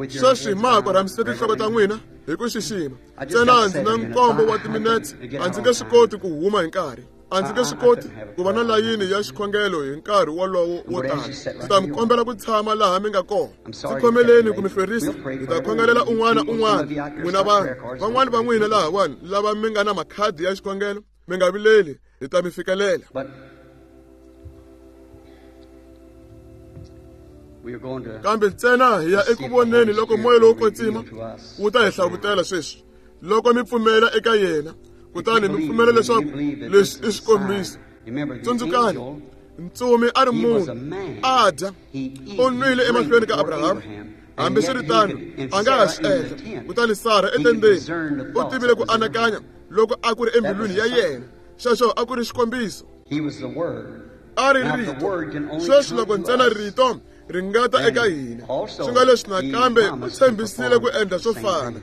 Sweswi ma ha korhamisile tinhloko ta n'wina hi ku xixima. Ntsena ndzi na nkombo wa timinetse, a ndzi nge swi koti ku huma hi nkarhi. A ndzi nge swi koti ku va na layini ya xikhongelo hi nkarhi wolowo wo tala. Ndzi ta mi kombela ku tshama laha mi nga kona. Ndzi khomeleni ku mi hlwerisa. Hi ta khongelela un'wana un'wana n'wina vanhu. Van'wana va n'wina lahawani lava mi nga na makhadi ya xikhongelo, mi nga vileli, hi ta mi fikelela. Kambe ntsena hi ya eku voneni loko moya lowo kwetsima wu ta hi hlavutela sweswi. Loko mi pfumela eka yena, kutani mi pfumela leswaku leswi i xikombiso. Tsundzukani, ntsumi a ri munhu, a dya, u nwile emahlweni ka Abrahama. Hambiswiritano, a nga ha swi endla. Kutani Sara etendeni u tivile ku anakanya loko a ku ri embilwini ya yena. Xexo a ku ri xikombiso. A ri rito. Sweswi loko ntsena rito ri nga ta eka hina, swi nga leswi nakambe u tshembisile ku endla swo fana.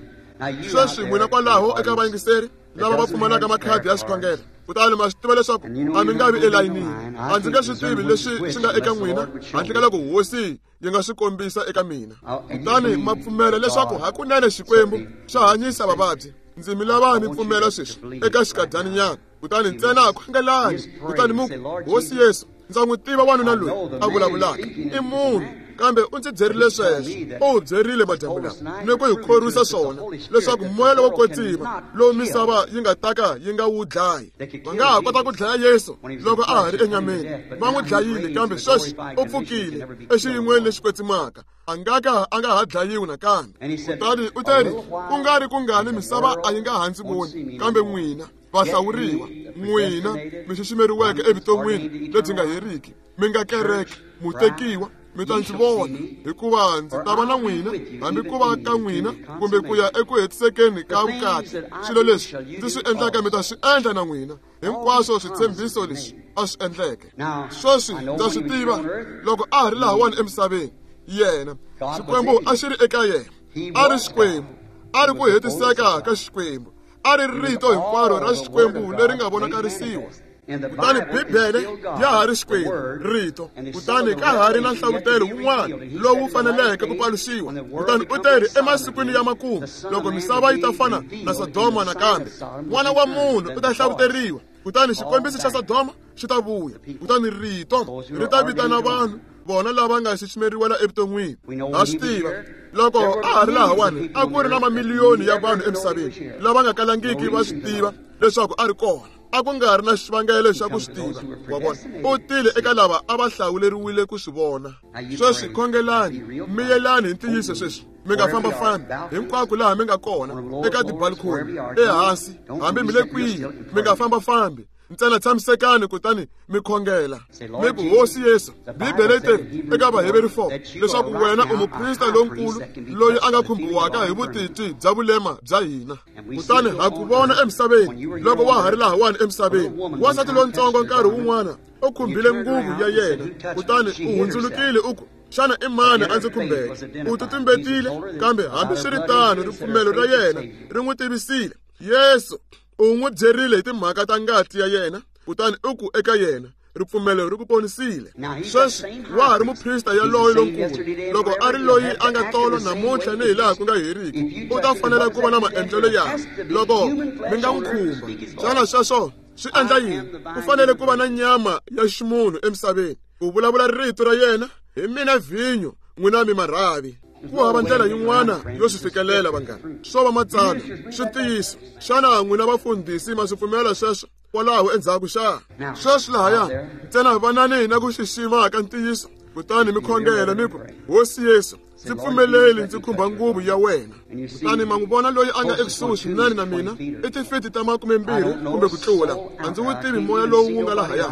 Sweswi n'wina kwalaho eka vayingiseri lava va pfumalaka makhadi ya xikhongelo, kutani ma swi tiva leswaku a mi nga vi elayinini. A ndzi nge swi tivi leswi swi nga eka n'wina handle ka loko Hosi yi nga swi kombisa eka mina. Kutani ma pfumela leswaku hakunene Xikwembu xa hanyisa vavabyi. Ndzi mi lava mi pfumela sweswi eka xikadyaninyana. Kutani ntsena khongelani, kutani mi ku, Hosi Yesu, ndza n'wi tiva wanuna loyi a vulavulaka, i munhu, kambe u ndzi byerile sweswo. U byerile madyambu lawa ni ku hi khorwisa swona leswaku moya lowo kwetsima lowu misava yi nga ta ka yi nga wu dlayi. Va nga ha kota ku dlaya Yesu loko a ha ri enyameni, va n'wi dlayile, kambe sweswi u pfukile exiyin'weni lexi kwetsimaka, a nga ka a nga ha dlayiwi nakambe. Kutani u teri, ku nga ri kungani misava a yi nga ha ndzi voni, kambe n'wina vahlawuriwa, n'wina mi xiximeriweke evuton'wini lebyi nga heriki, mi nga kereke, mutekiwa, mi ta ndzi vona, hikuva ndzi ta va na n'wina, hambi ku va ka n'wina kumbe ku ya eku hetisekeni ka vukati. Swilo leswi ndzi swi endlaka mi ta swi endla na n'wina. Hinkwaswo switshembiso leswi a swi endleke. Sweswi ndza swi tiva loko a ha ri lahawani emisaveni, yena Xikwembu a xi ri eka yena. A ri Xikwembu, a ri ku hetiseka ka Xikwembu, a ri rito hinkwaro ra Xikwembu leri nga vonakarisiwa. Kutani Bibele ya ha ri Xikwembu, rito. Kutani ka ha ri na nhlavutelo wun'wana lowu faneleke ku paluxiwa. Kutani u teri emasikwini ya makumu, loko misava yi ta fana na Sodoma nakambe, N'wana wa Munhu u ta hlavuteriwa. Kutani xikombiso xa Sodoma xi ta vuya. Kutani rito ri ta vitana vanhu vona lava nga xiximeriwela evuton'wini. Ha swi tiva loko a ha ri lahawani, a ku ri na mamiliyoni ya vanhu emisaveni lava nga kalangiki va swi tiva leswaku a ri kona. A ku nga ri na xivangelo xa ku swi tiva. Wa vona, u tile eka lava a va hlawuleriwile ku swi vona. Sweswi khongelani, miyelani hi ntiyiso sweswi. Mi nga fambafambi hinkwako laha mi nga kona, eka tibalkhoni, ehansi, hambi mi le kwihi, mi nga fambafambi. Ntsena tshamisekani kutani mi khongela. Mi ku, Hosi Yesu, Bibele yi teri eka Vaheveri 4 leswaku wena u muprista lonkulu loyi a nga khumbiwaka hi vutitwi bya vulema bya hina. Kutani ha ku vona emisaveni loko wa ha ri lahawani emisaveni. Wansati lontsongo nkarhi wun'wana u khumbile nguvu ya yena, kutani u hundzulukile u ku, xana i mani a ndzi khumbeke? U titumbetile, kambe hambiswiritano ripfumelo ra yena ri n'wi tivisile. Yesu u n'wi byerile hi timhaka ta ngati ya yena, kutani u ku eka yena, Ripfumelo ri ku ponisile. Sweswi wa ha ri muprista yaloye lonkulu. Loko a ri loyi a nga tolo namuntlha ni hi laha ku nga heriki, u ta fanela ku va na maendlelo ya loko mi nga n'wi khumba. Xana sweswo swi endla yini? Ku fanele ku va na nyama ya ximunhu emisaveni ku vulavula rito ra yena. Hi mina vhinyo, n'wina mi marhavi. Ku hava ndlela yin'wana yo swi fikelela, vanghana. Swo va matsalwa, swi ntiyiso. Xana n'wina vafundhisi ma swi pfumela sweswo kwalaho endzhaku xa? Sweswi lahaya ntsena vanani na ku xixima ka ntiyiso, kutani mi khongela mi ku, Hosi Yesu, ndzi pfumeleli ndzi khumba nguvu ya wena. Kutani ma n'wi vona loyi a nga ekusuhi swinene na mina i tifiti ta 20 kumbe ku tlula. A ndzi wu tivi moya lowu wu nga lahaya.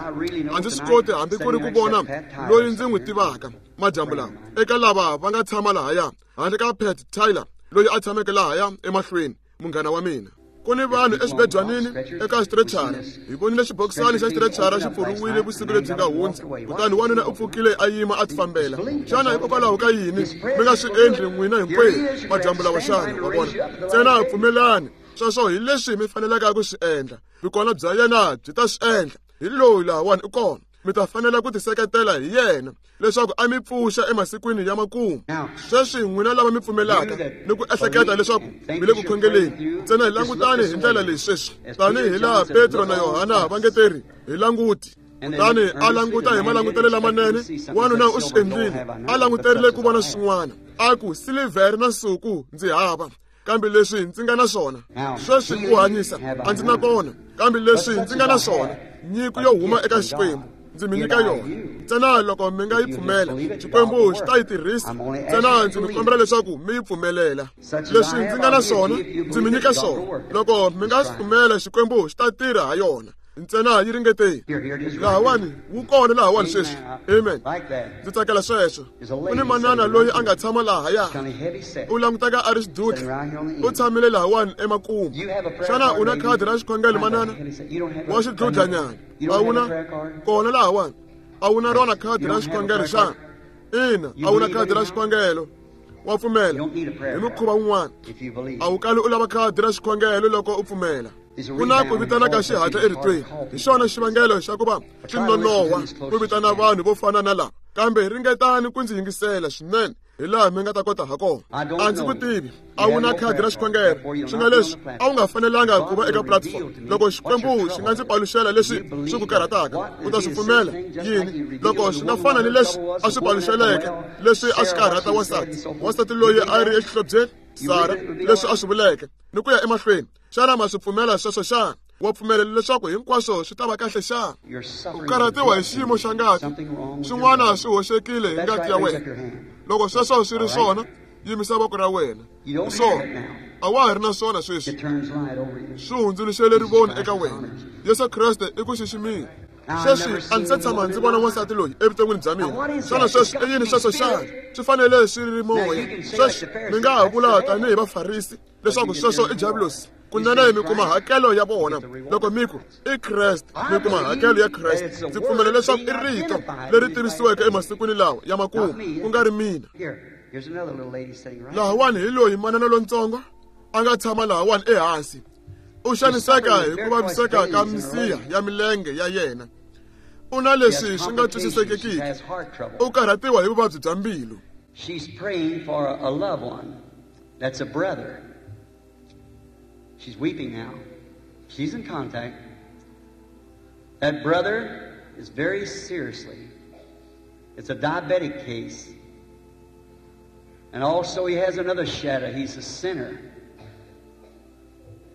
A ndzi swi koti hambi ku ri ku vona loyi ndzi n'wi tivaka madyambu lawa eka lava va nga tshama lahaya, handle ka Pat Tyler loyi a tshameke lahaya emahlweni, munghana wa mina. Ku ni vanhu exibedwanini eka xitrechara. Hi vonile xibokisani xa xitrechara xi pfuriwile vusiku lebyi nga hundza, kutani wanuna u pfukile a yima a tifambela. Xana hikokwalaho ka yini mi nga swi endli n'wina hinkwenu madyambu lawa xana? Wa vona, ntsena pfumelani. Sweswo hi leswi mi fanelaka ku swi endla. Vukona bya yena byi ta swi endla. Hi loyi lahawani u kona. Mi ta fanela ku tiseketela hi yena leswaku a mi pfuxa emasikwini ya makumu. Sweswi n'wina lava mi pfumelaka ni ku ehleketa leswaku mi le ku khongeleni, ntsena hi langutani hi ndlela leyi sweswi, tanihi laha Petro na Yohana va nge teri hi languti. Kutani a languta hi malangutelo lamanene, wanuna u swi endlile. A languterile ku vona swin'wana. A ku, silivhere na nsuku ndzi hava, kambe leswi ndzi nga na swona sweswi ku hanyisa a ndzi na kona, kambe leswi ndzi nga na swona, nyiko yo huma eka Xikwembu ndzi mi nyika yona. Ntsena loko mi nga yi pfumela, Xikwembu xi ta yi tirhisa. Ntsena ndzi mi kombela leswaku mi yi pfumelela. Leswi ndzi nga na swona ndzi mi nyika swona. Loko mi nga swi pfumela, Xikwembu xi ta tirha ha yona. Ntsena yi ringeteni. Lahawani wu kona lahawani sweswi. Amen. Ndzi tsakela sweswo. Ku ni manana loyi a nga tshama lahaya, u languteka a ri xidutla, u tshamile lahawani emakumu. Xana u na khadi ra xikhongelo, manana? Wa xidludlanyana. A wu na kona lahawani? A wu na rona khadi ra xikhongelo xana? Ina, a wu na khadi ra xikhongelo. Wa pfumela hi mukhuva wun'wana. A wu kali u lava khadi ra xikhongelo loko u pfumela. Ku na ku vitana ka xihatla eritweni. Hi xona xivangelo xa ku va swi nonohwa ku vitana vanhu vo fana na lava. Kambe ringetani ku ndzi yingisela swinene hi laha mi nga ta kota ha kona. A ndzi ku tivi. A wu na khadi ra xikhongelo. Swi nga leswi a wu nga fanelanga ku va eka platform. Loko Xikwembu xi nga ndzi paluxela leswi swi ku karhataka, u ta swi pfumela yini? Loko swi nga fana ni leswi a swi paluxeleke leswi a swi karhata wansati, wansati loyi a ri exihlobyeni, Sara, leswi a swi vuleke ni ku ya emahlweni. Xana ma swi pfumela sweswo xana? Wa pfumela leswaku hinkwaswo swi ta va kahle xana? U karhatiwa hi xiyimo xa ngati. Swin'wana swi hoxekile hi ngati ya wena. Loko sweswo swi ri swona, yimisa voko ra wena. Hi swona. A wa ha ri na swona sweswi. Swi hundzuluxele rivoni eka wena. Yesu Kreste i ku xiximile. Sweswi a ndzi se tshama ndzi vona wansati loyi evuton'wini bya mina. Xana sweswi i yini sweswo xana? Swi fanele swi ri moya. Sweswi mi nga ha vula tanihi Vafarisi leswaku sweswo i diabulosi. Kunene mi kuma hakelo ya vona loko mi ku i Kreste. Mi kuma hakelo ya Kreste. Ndzi pfumela leswaku i rito leri tivisiweke emasikwini lawa ya makumu, ku nga ri mina. Lahawani hi loyi manana lontsongo a nga tshama lahawani ehansi. U xaniseka hi ku vaviseka ka misiha ya milenge ya yena. U na leswi swi nga twisisekekiki. U karhatiwa hi vuvabyi bya mbilu. She's praying for a loved one. That's a brother. She's weeping now. She's in contact. That brother is very seriously. It's a diabetic case. And also he has another shadow. He's a sinner.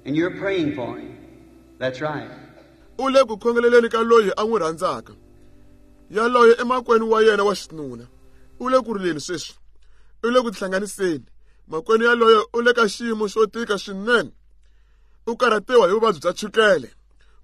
And you're praying for him. That's right. U le ku khongeleleni ka loyi a n'wi rhandzaka. Yaloye emakwenu wa yena wa xinuna. U le ku rileni sweswi. U le ku tihlanganiseni. Makwenu yaloye u le ka xiyimo xo tika swinene. U karhatiwa hi vuvabyi bya chukele.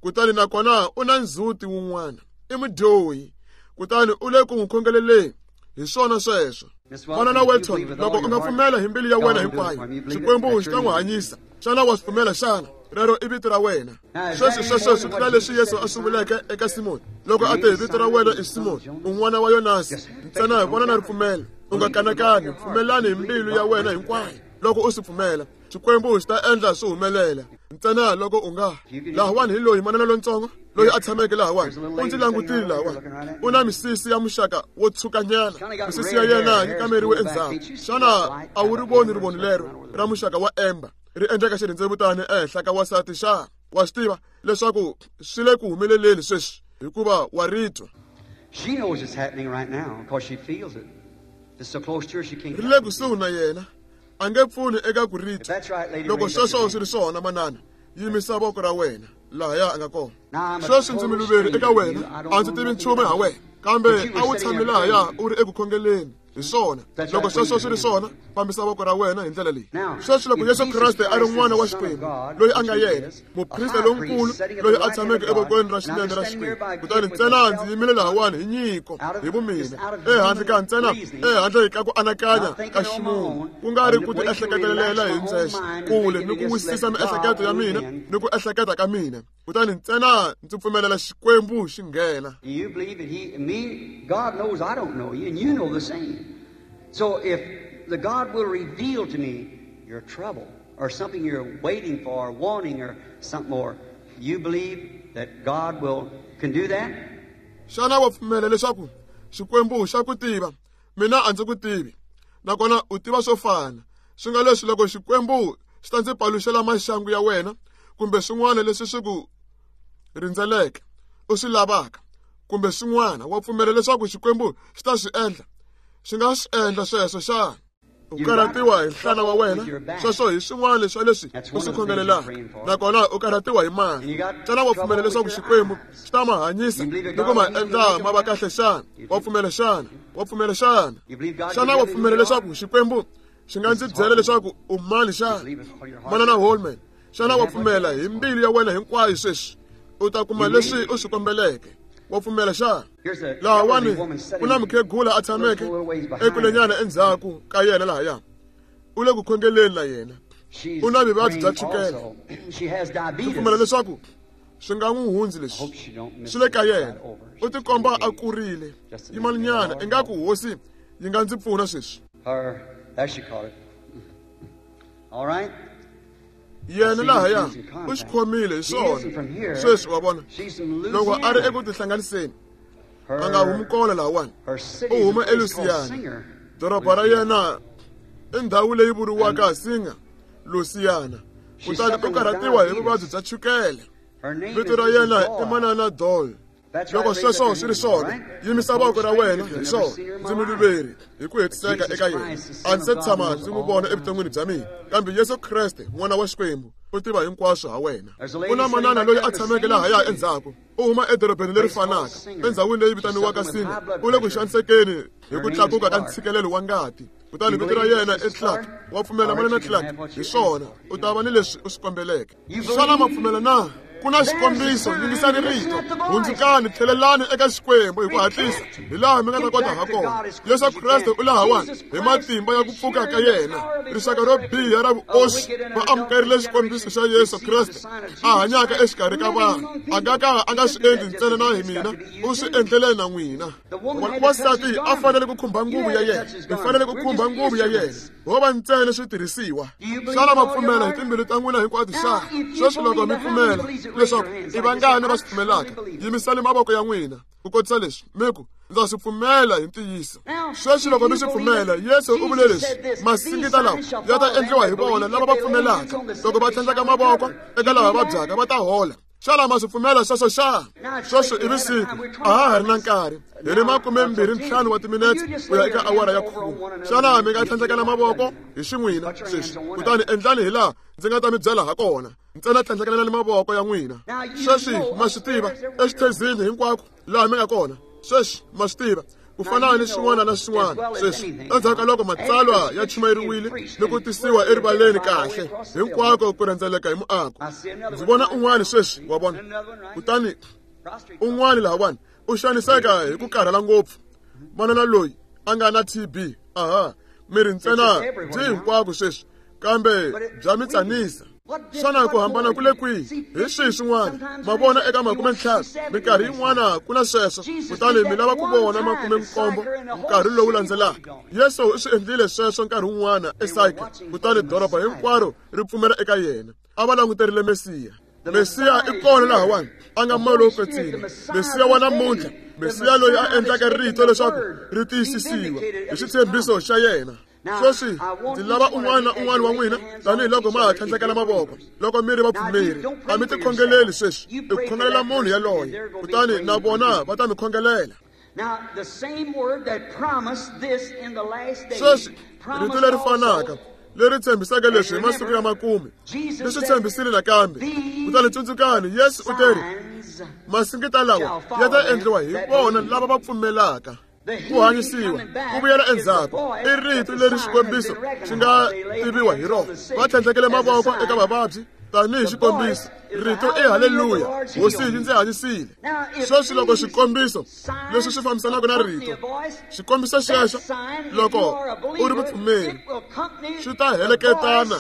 Kutani nakona u na ndzhuti wun'wana. I mudyohi. Kutani u le ku n'wi khongeleleni. Hi swona sweswo. Manana Welton, loko u nga pfumela hi mbilu ya wena hinkwayo, Xikwembu xi ta n'wi hanyisa. Xana wa swi pfumela xana? Rero i vito ra wena. Sweswi sweswo swi tlula leswi Yesu a swi vuleke eka Simoni loko a te, vito ra wena i Simoni, u n'wana wa Yonasi. Ntsena hi vona na ripfumelo. U nga kanakani, pfumelani hi mbilu ya wena hinkwayo. Loko u swi pfumela, Xikwembu xi ta endla swi humelela. Ntsena loko u nga. Lahawani hi loyi manana lontsongo. Loyi a tshameke lahawani u ndzi langutile lahawani u na misisi ya muxaka wo tshukanyana misisi ya yena yi kameriwe endzhaku xana a wu ri voni rivoni lero ra muxaka wa emba ri endleka xirhendzevutani ehenhla ka wansati xa wa swi tiva leswaku swi le ku humeleleni sweswi hikuva wa ri twa ri le kusuhi na yena a nge pfuni eka ku ri twa loko sweswo swi ri swona manana yimisa voko ra wena lahaya a nga kona sweswi ndzi muluveri eka wena a ndzi tivi nchumu ha wena kambe a wu tshami lahaya u ri eku khongeleni hi swona loko sweswo swi ri swona fambisa voko ra wena hi ndlela leyi sweswi loko Yesu Kreste a ri n'wana wa Xikwembu loyi a nga yena muprista lonkulu loyi a tshameke evokweni ra xinene ra Xikwembu kutani ntsena ndzi yimile lahawani hi nyiko hi vumina ehandle ka ntsena ehandle ka ku anakanya ka ximunhu ku nga ri ku ti ehleketelela hi ndzexe kule ni ku wisisa miehleketo ya mina ni ku ehleketa ka mina kutani ntsena ndzi pfumelela Xikwembu xi nghena. Do you believe that he, me, God knows I don't know you, and you know the same. So if the God will reveal to me your trouble or something you're waiting for, or wanting, or something more, you believe that God will can do that? Xana wa pfumela leswaku Xikwembu xa ku tiva mina a ndzi ku tivi nakona u tiva swo fana swi nga leswi loko Xikwembu xi ta ndzi paluxela maxangu ya wena kumbe swin'wana leswi swi ku rindzeleke u swi lavaka kumbe swin'wana wa pfumela leswaku Xikwembu xi ta swi endla xi nga swi endla sweswo xana u karhatiwa hi nhlana wa wena sweswo hi swin'wana swa leswi u swi khongelelaka nakona u karhatiwa hi mali xana wa pfumela leswaku Xikwembu xi ta ma hanyisa ni ku ma endla ma va kahle xana wa pfumela xana wa pfumela xana xana wa pfumela leswaku Xikwembu xi nga ndzi byela leswaku u mani xana manana Holman xana wa pfumela hi mbilu ya wena hinkwayo sweswi u ta kuma leswi u swi kombeleke wa pfumela xana lahawani ku na mukhegula a tshameke ekulenyana endzhaku ka yena lahaya u le ku khongeleni na yena u na vuvabyi bya chukele ndzi pfumela leswaku swi nga n'wi hundzi leswi swi le ka yena u tikomba a kurile yimalinyana ingaku hosi yi nga ndzi pfuna sweswi yena lahaya u xi khomile hi swona sweswi wa vona loko a ri eku tihlanganiseni a nga humi kona lahawani u huma eLusiyana doroba ra yena i ndhawu leyi vuriwaka Singa Lusiyana kutani u karhatiwa hi vuvabyi bya chukele vito ra yena i manana Doyle loko sweswo swi ri swona yimisa voko ra wena hi swona ndzi muluveri hi ku hetiseka eka yena a ndzi se tshama ndzi n'wi vona evuton'wini bya mina kambe Yesu Kreste n'wana wa Xikwembu u tiva hinkwaswo ha wena ku na manana loyi a tshameke lahaya endzhaku u huma edorobeni leri fanaka endhawini leyi vitaniwaka Singa u le ku xanisekeni hi ku tlakuka ka ntshikelelo wa ngati kutani vito ra yena i Clark wa pfumela manana Clark hi swona u ta va ni leswi u swi kombeleke xana ma pfumela na ku na xikombiso yingisani rito hundzukani tlhelelani eka Xikwembu hi ku hatlisa hi laha mi nga ta kota ha kona Yesu Kreste u lahawani hi matimba ya ku pfuka ka yena rixaka ro biha ra vuoswi va amukerile xikombiso xa Yesu Kreste a hanyaka exikarhi ka vanhu a nga ka a nga swi endli ntsena na hi mina u swi endlele na n'wina wansati a fanele ku khumba nguvu ya yena hi fanele ku khumba nguvu ya yena ho va ntsena switirhisiwa xana ma pfumela hi timbilu ta n'wina hinkwato xana sweswi loko mi pfumela leswaku i vangani va swi pfumelaka yimisani mavoko ya n'wina ku kotisa leswi mi ku ndza swi pfumela hi ntiyiso sweswi loko mi swi pfumela Yesu u vule leswi masingita lawa ya ta endliwa hi vona lava va pfumelaka loko va tlhandlaka mavoko eka lava vabyaka va ta hola xana ma swi pfumela sweswo xana sweswo i vusiku a ha ha ri na nkarhi hi ri 25 wa timinetse ku ya eka awara ya 10 xana mi nga tlhandlekela mavoko hi xin'wina sweswi kutani endlani hi laha ndzi nga ta mi byela ha kona ntsena tlhandlekelelani mavoko ya n'wina sweswi ma swi tiva exithezini hinkwako laha mi nga kona sweswi ma swi tiva ku fana ni swin'wana na swin'wana sweswi endzhaku ka loko matsalwa ya chumayeriwile ni ku tisiwa erivaleni kahle hinkwako ku rhendzeleka hi muako ndzi vona un'wana sweswi wa vona kutani un'wana lahawani u xaniseka hi ku karhala ngopfu manana loyi a nga na TB aha miri ntsena byi hinkwako sweswi kambe bya mi tsanisa xana ku hambana ku le kwihi hi swihi swin'wana ma vona eka 50 minkarhi yin'wana ku na sweswo kutani mi lava ku vona 70 nkarhi lowu landzelaka Yesu u swi endlile sweswo nkarhi wun'wana eSayika kutani doroba hinkwaro ri pfumela eka yena a va languterile Mesiya Mesiya i kona lahawani a nga moya lowo kwetsima, Mesiya wa namuntlha, Mesiya loyi a endlaka rito leswaku ri tiyisisiwa hi xitshembiso xa yena. Sweswi ndzi lava un'wana na un'wana wa n'wina, tanihiloko ma ha tlhandlekela mavoko, loko mi ri vapfumeri, a mi tikhongeleli sweswi, i ku khongelela munhu yaloye, kutani na vona va ta mi khongelela. Sweswi rito leri fanaka leri tshembisaka leswi hi masiku ya makume ri swi tshembisile nakambe. Kutani tsundzukani, Yesu u teri, masingita lawa ya ta endliwa hi vona lava va pfumelaka. Ku hanyisiwa ku vuyela endzhaku i rito leri xikombiso xi nga tiviwa hi rona. Va tlhandlekele mavoko eka vavabyi tanihi xikombiso. Rito i haleluya, Hosi yi ndzi hanyisile. Sweswi loko xikombiso leswi swi fambisanaka na rito, xikombiso xexo loko u ri mupfumeri xi ta heleketana,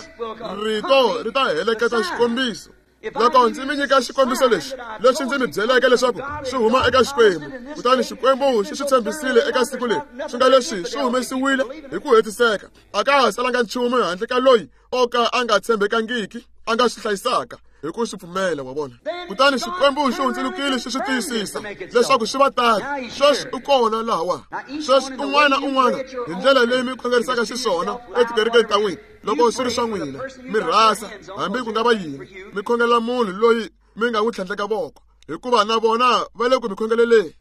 rito ri ta heleketa xikombiso. Loko ndzi mi nyika xikombiso lexi, lexi ndzi mi byeleke leswaku swi huma eka Xikwembu, kutani Xikwembu xi swi tshembisile eka siku leri, swi nga leswi swi humesiwile hi ku hetiseka, a ka ha salanga nchumu handle ka loyi o ka a nga tshembekangiki a nga swi hlayisaka hi ku swi pfumela, wa vona. Kutani Xikwembu xi hundzulukile xi swi tiyisisa leswaku swi va tano. Sweswi u kona lahawa. Sweswi un'wana na un'wana hi ndlela leyi mi khongerisaka xiswona etikerekeni ta n'wina, loko swi ri swa n'wina, mi rhasa hambi ku nga va yini, mi khongelela munhu loyi mi nga n'wi tlhandleka voko, hikuva na vona va le ku mi khongeleleni.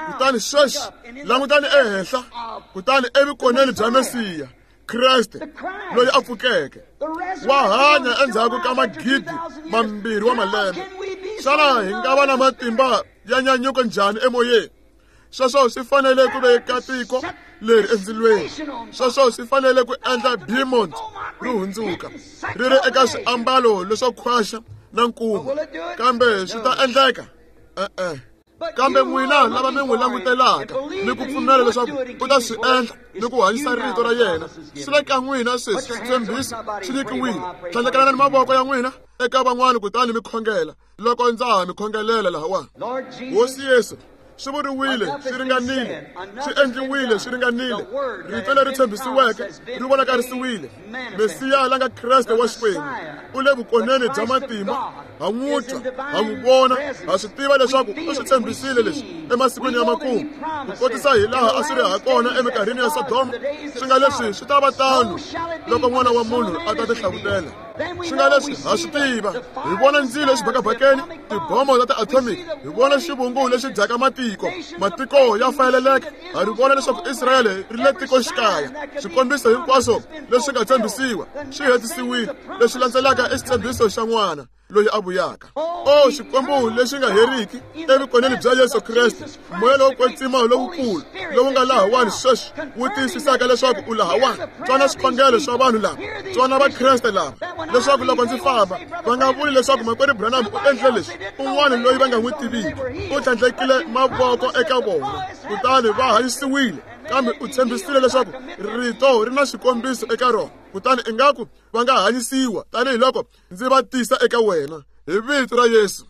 Kutani sweswi langutani ehenhla, kutani evukoneni bya Mesiya, Kreste loyi a pfukeke, wa hanya endzhaku ka magidi mambirhi wa malembe. Xana hi nga va na matimba ya nyanyuko njhani emoyeni? Sweswo swi fanele ku veka tiko leri endzilweni. Sweswo swi fanele ku endla Beaumont ri hundzuka ri ri eka swiambalo leswo khwaxa na nkuma. Kambe swi ta endleka? E-e. Kambe n'wina lava mi n'wi langutelaka ni ku pfumela leswaku u ta swi endla ni ku hanyisa rito ra yena, swi le ka n'wina sweswi. Switshembiso swi nyikiwile. Tlhandlekelani mavoko ya n'wina eka van'wana kutani mi khongela loko ndza ha mi khongelela lahawani. Hosi Yesu, swi vuriwile swi ringanile, swi endliwile swi ringanile. Rito leri tshembisiweke ri vonakarisiwile. Mesiya la nga Kreste wa Xikwembu u le vukoneni bya matimba. Ha n'wi twa, ha n'wi vona, ha swi tiva leswaku u swi tshembisile leswi emasikwini ya makumu, ku kotisa hi laha a swi ri ha kona eminkarhini ya Sodoma. Swi nga leswi swi ta va tano loko N'wana wa Munhu a ta tihlavutela. Swi nga leswi ha swi tiva, hi vona ndzilo exibakabakeni, tibomo ta ti-atomic, hi vona xivungu lexi dyaka matiko, matiko ya fayeleleka. Ha ri vona leswaku Israyele ri le tikoxikaya. Swikombiso hinkwaswo leswi nga tshembisiwa swi hetisiwile. Leswi landzelaka i xitshembiso xa N'wana loyi a vuyaka. O Xikwembu lexi nga heriki, evukoneni bya Yesu Kreste, moya lowo kwetsima lowukulu lowu nga lahawani sweswi wu tiyisisaka leswaku u lahawani. Twana swikhongelo swa vanhu lava, twana Vakreste lava, leswaku loko ndzi famba va nga vuli leswaku makwerhu Branham u endle leswi, un'wana loyi va nga n'wi tiviki u tlhandlekile mavoko eka vona kutani va hanyisiwile. Kambe u tshembisile leswaku rito ri na xikombiso eka rona, kutani ingaku va nga hanyisiwa tanihiloko ndzi va tisa eka wena hi vito ra Yesu.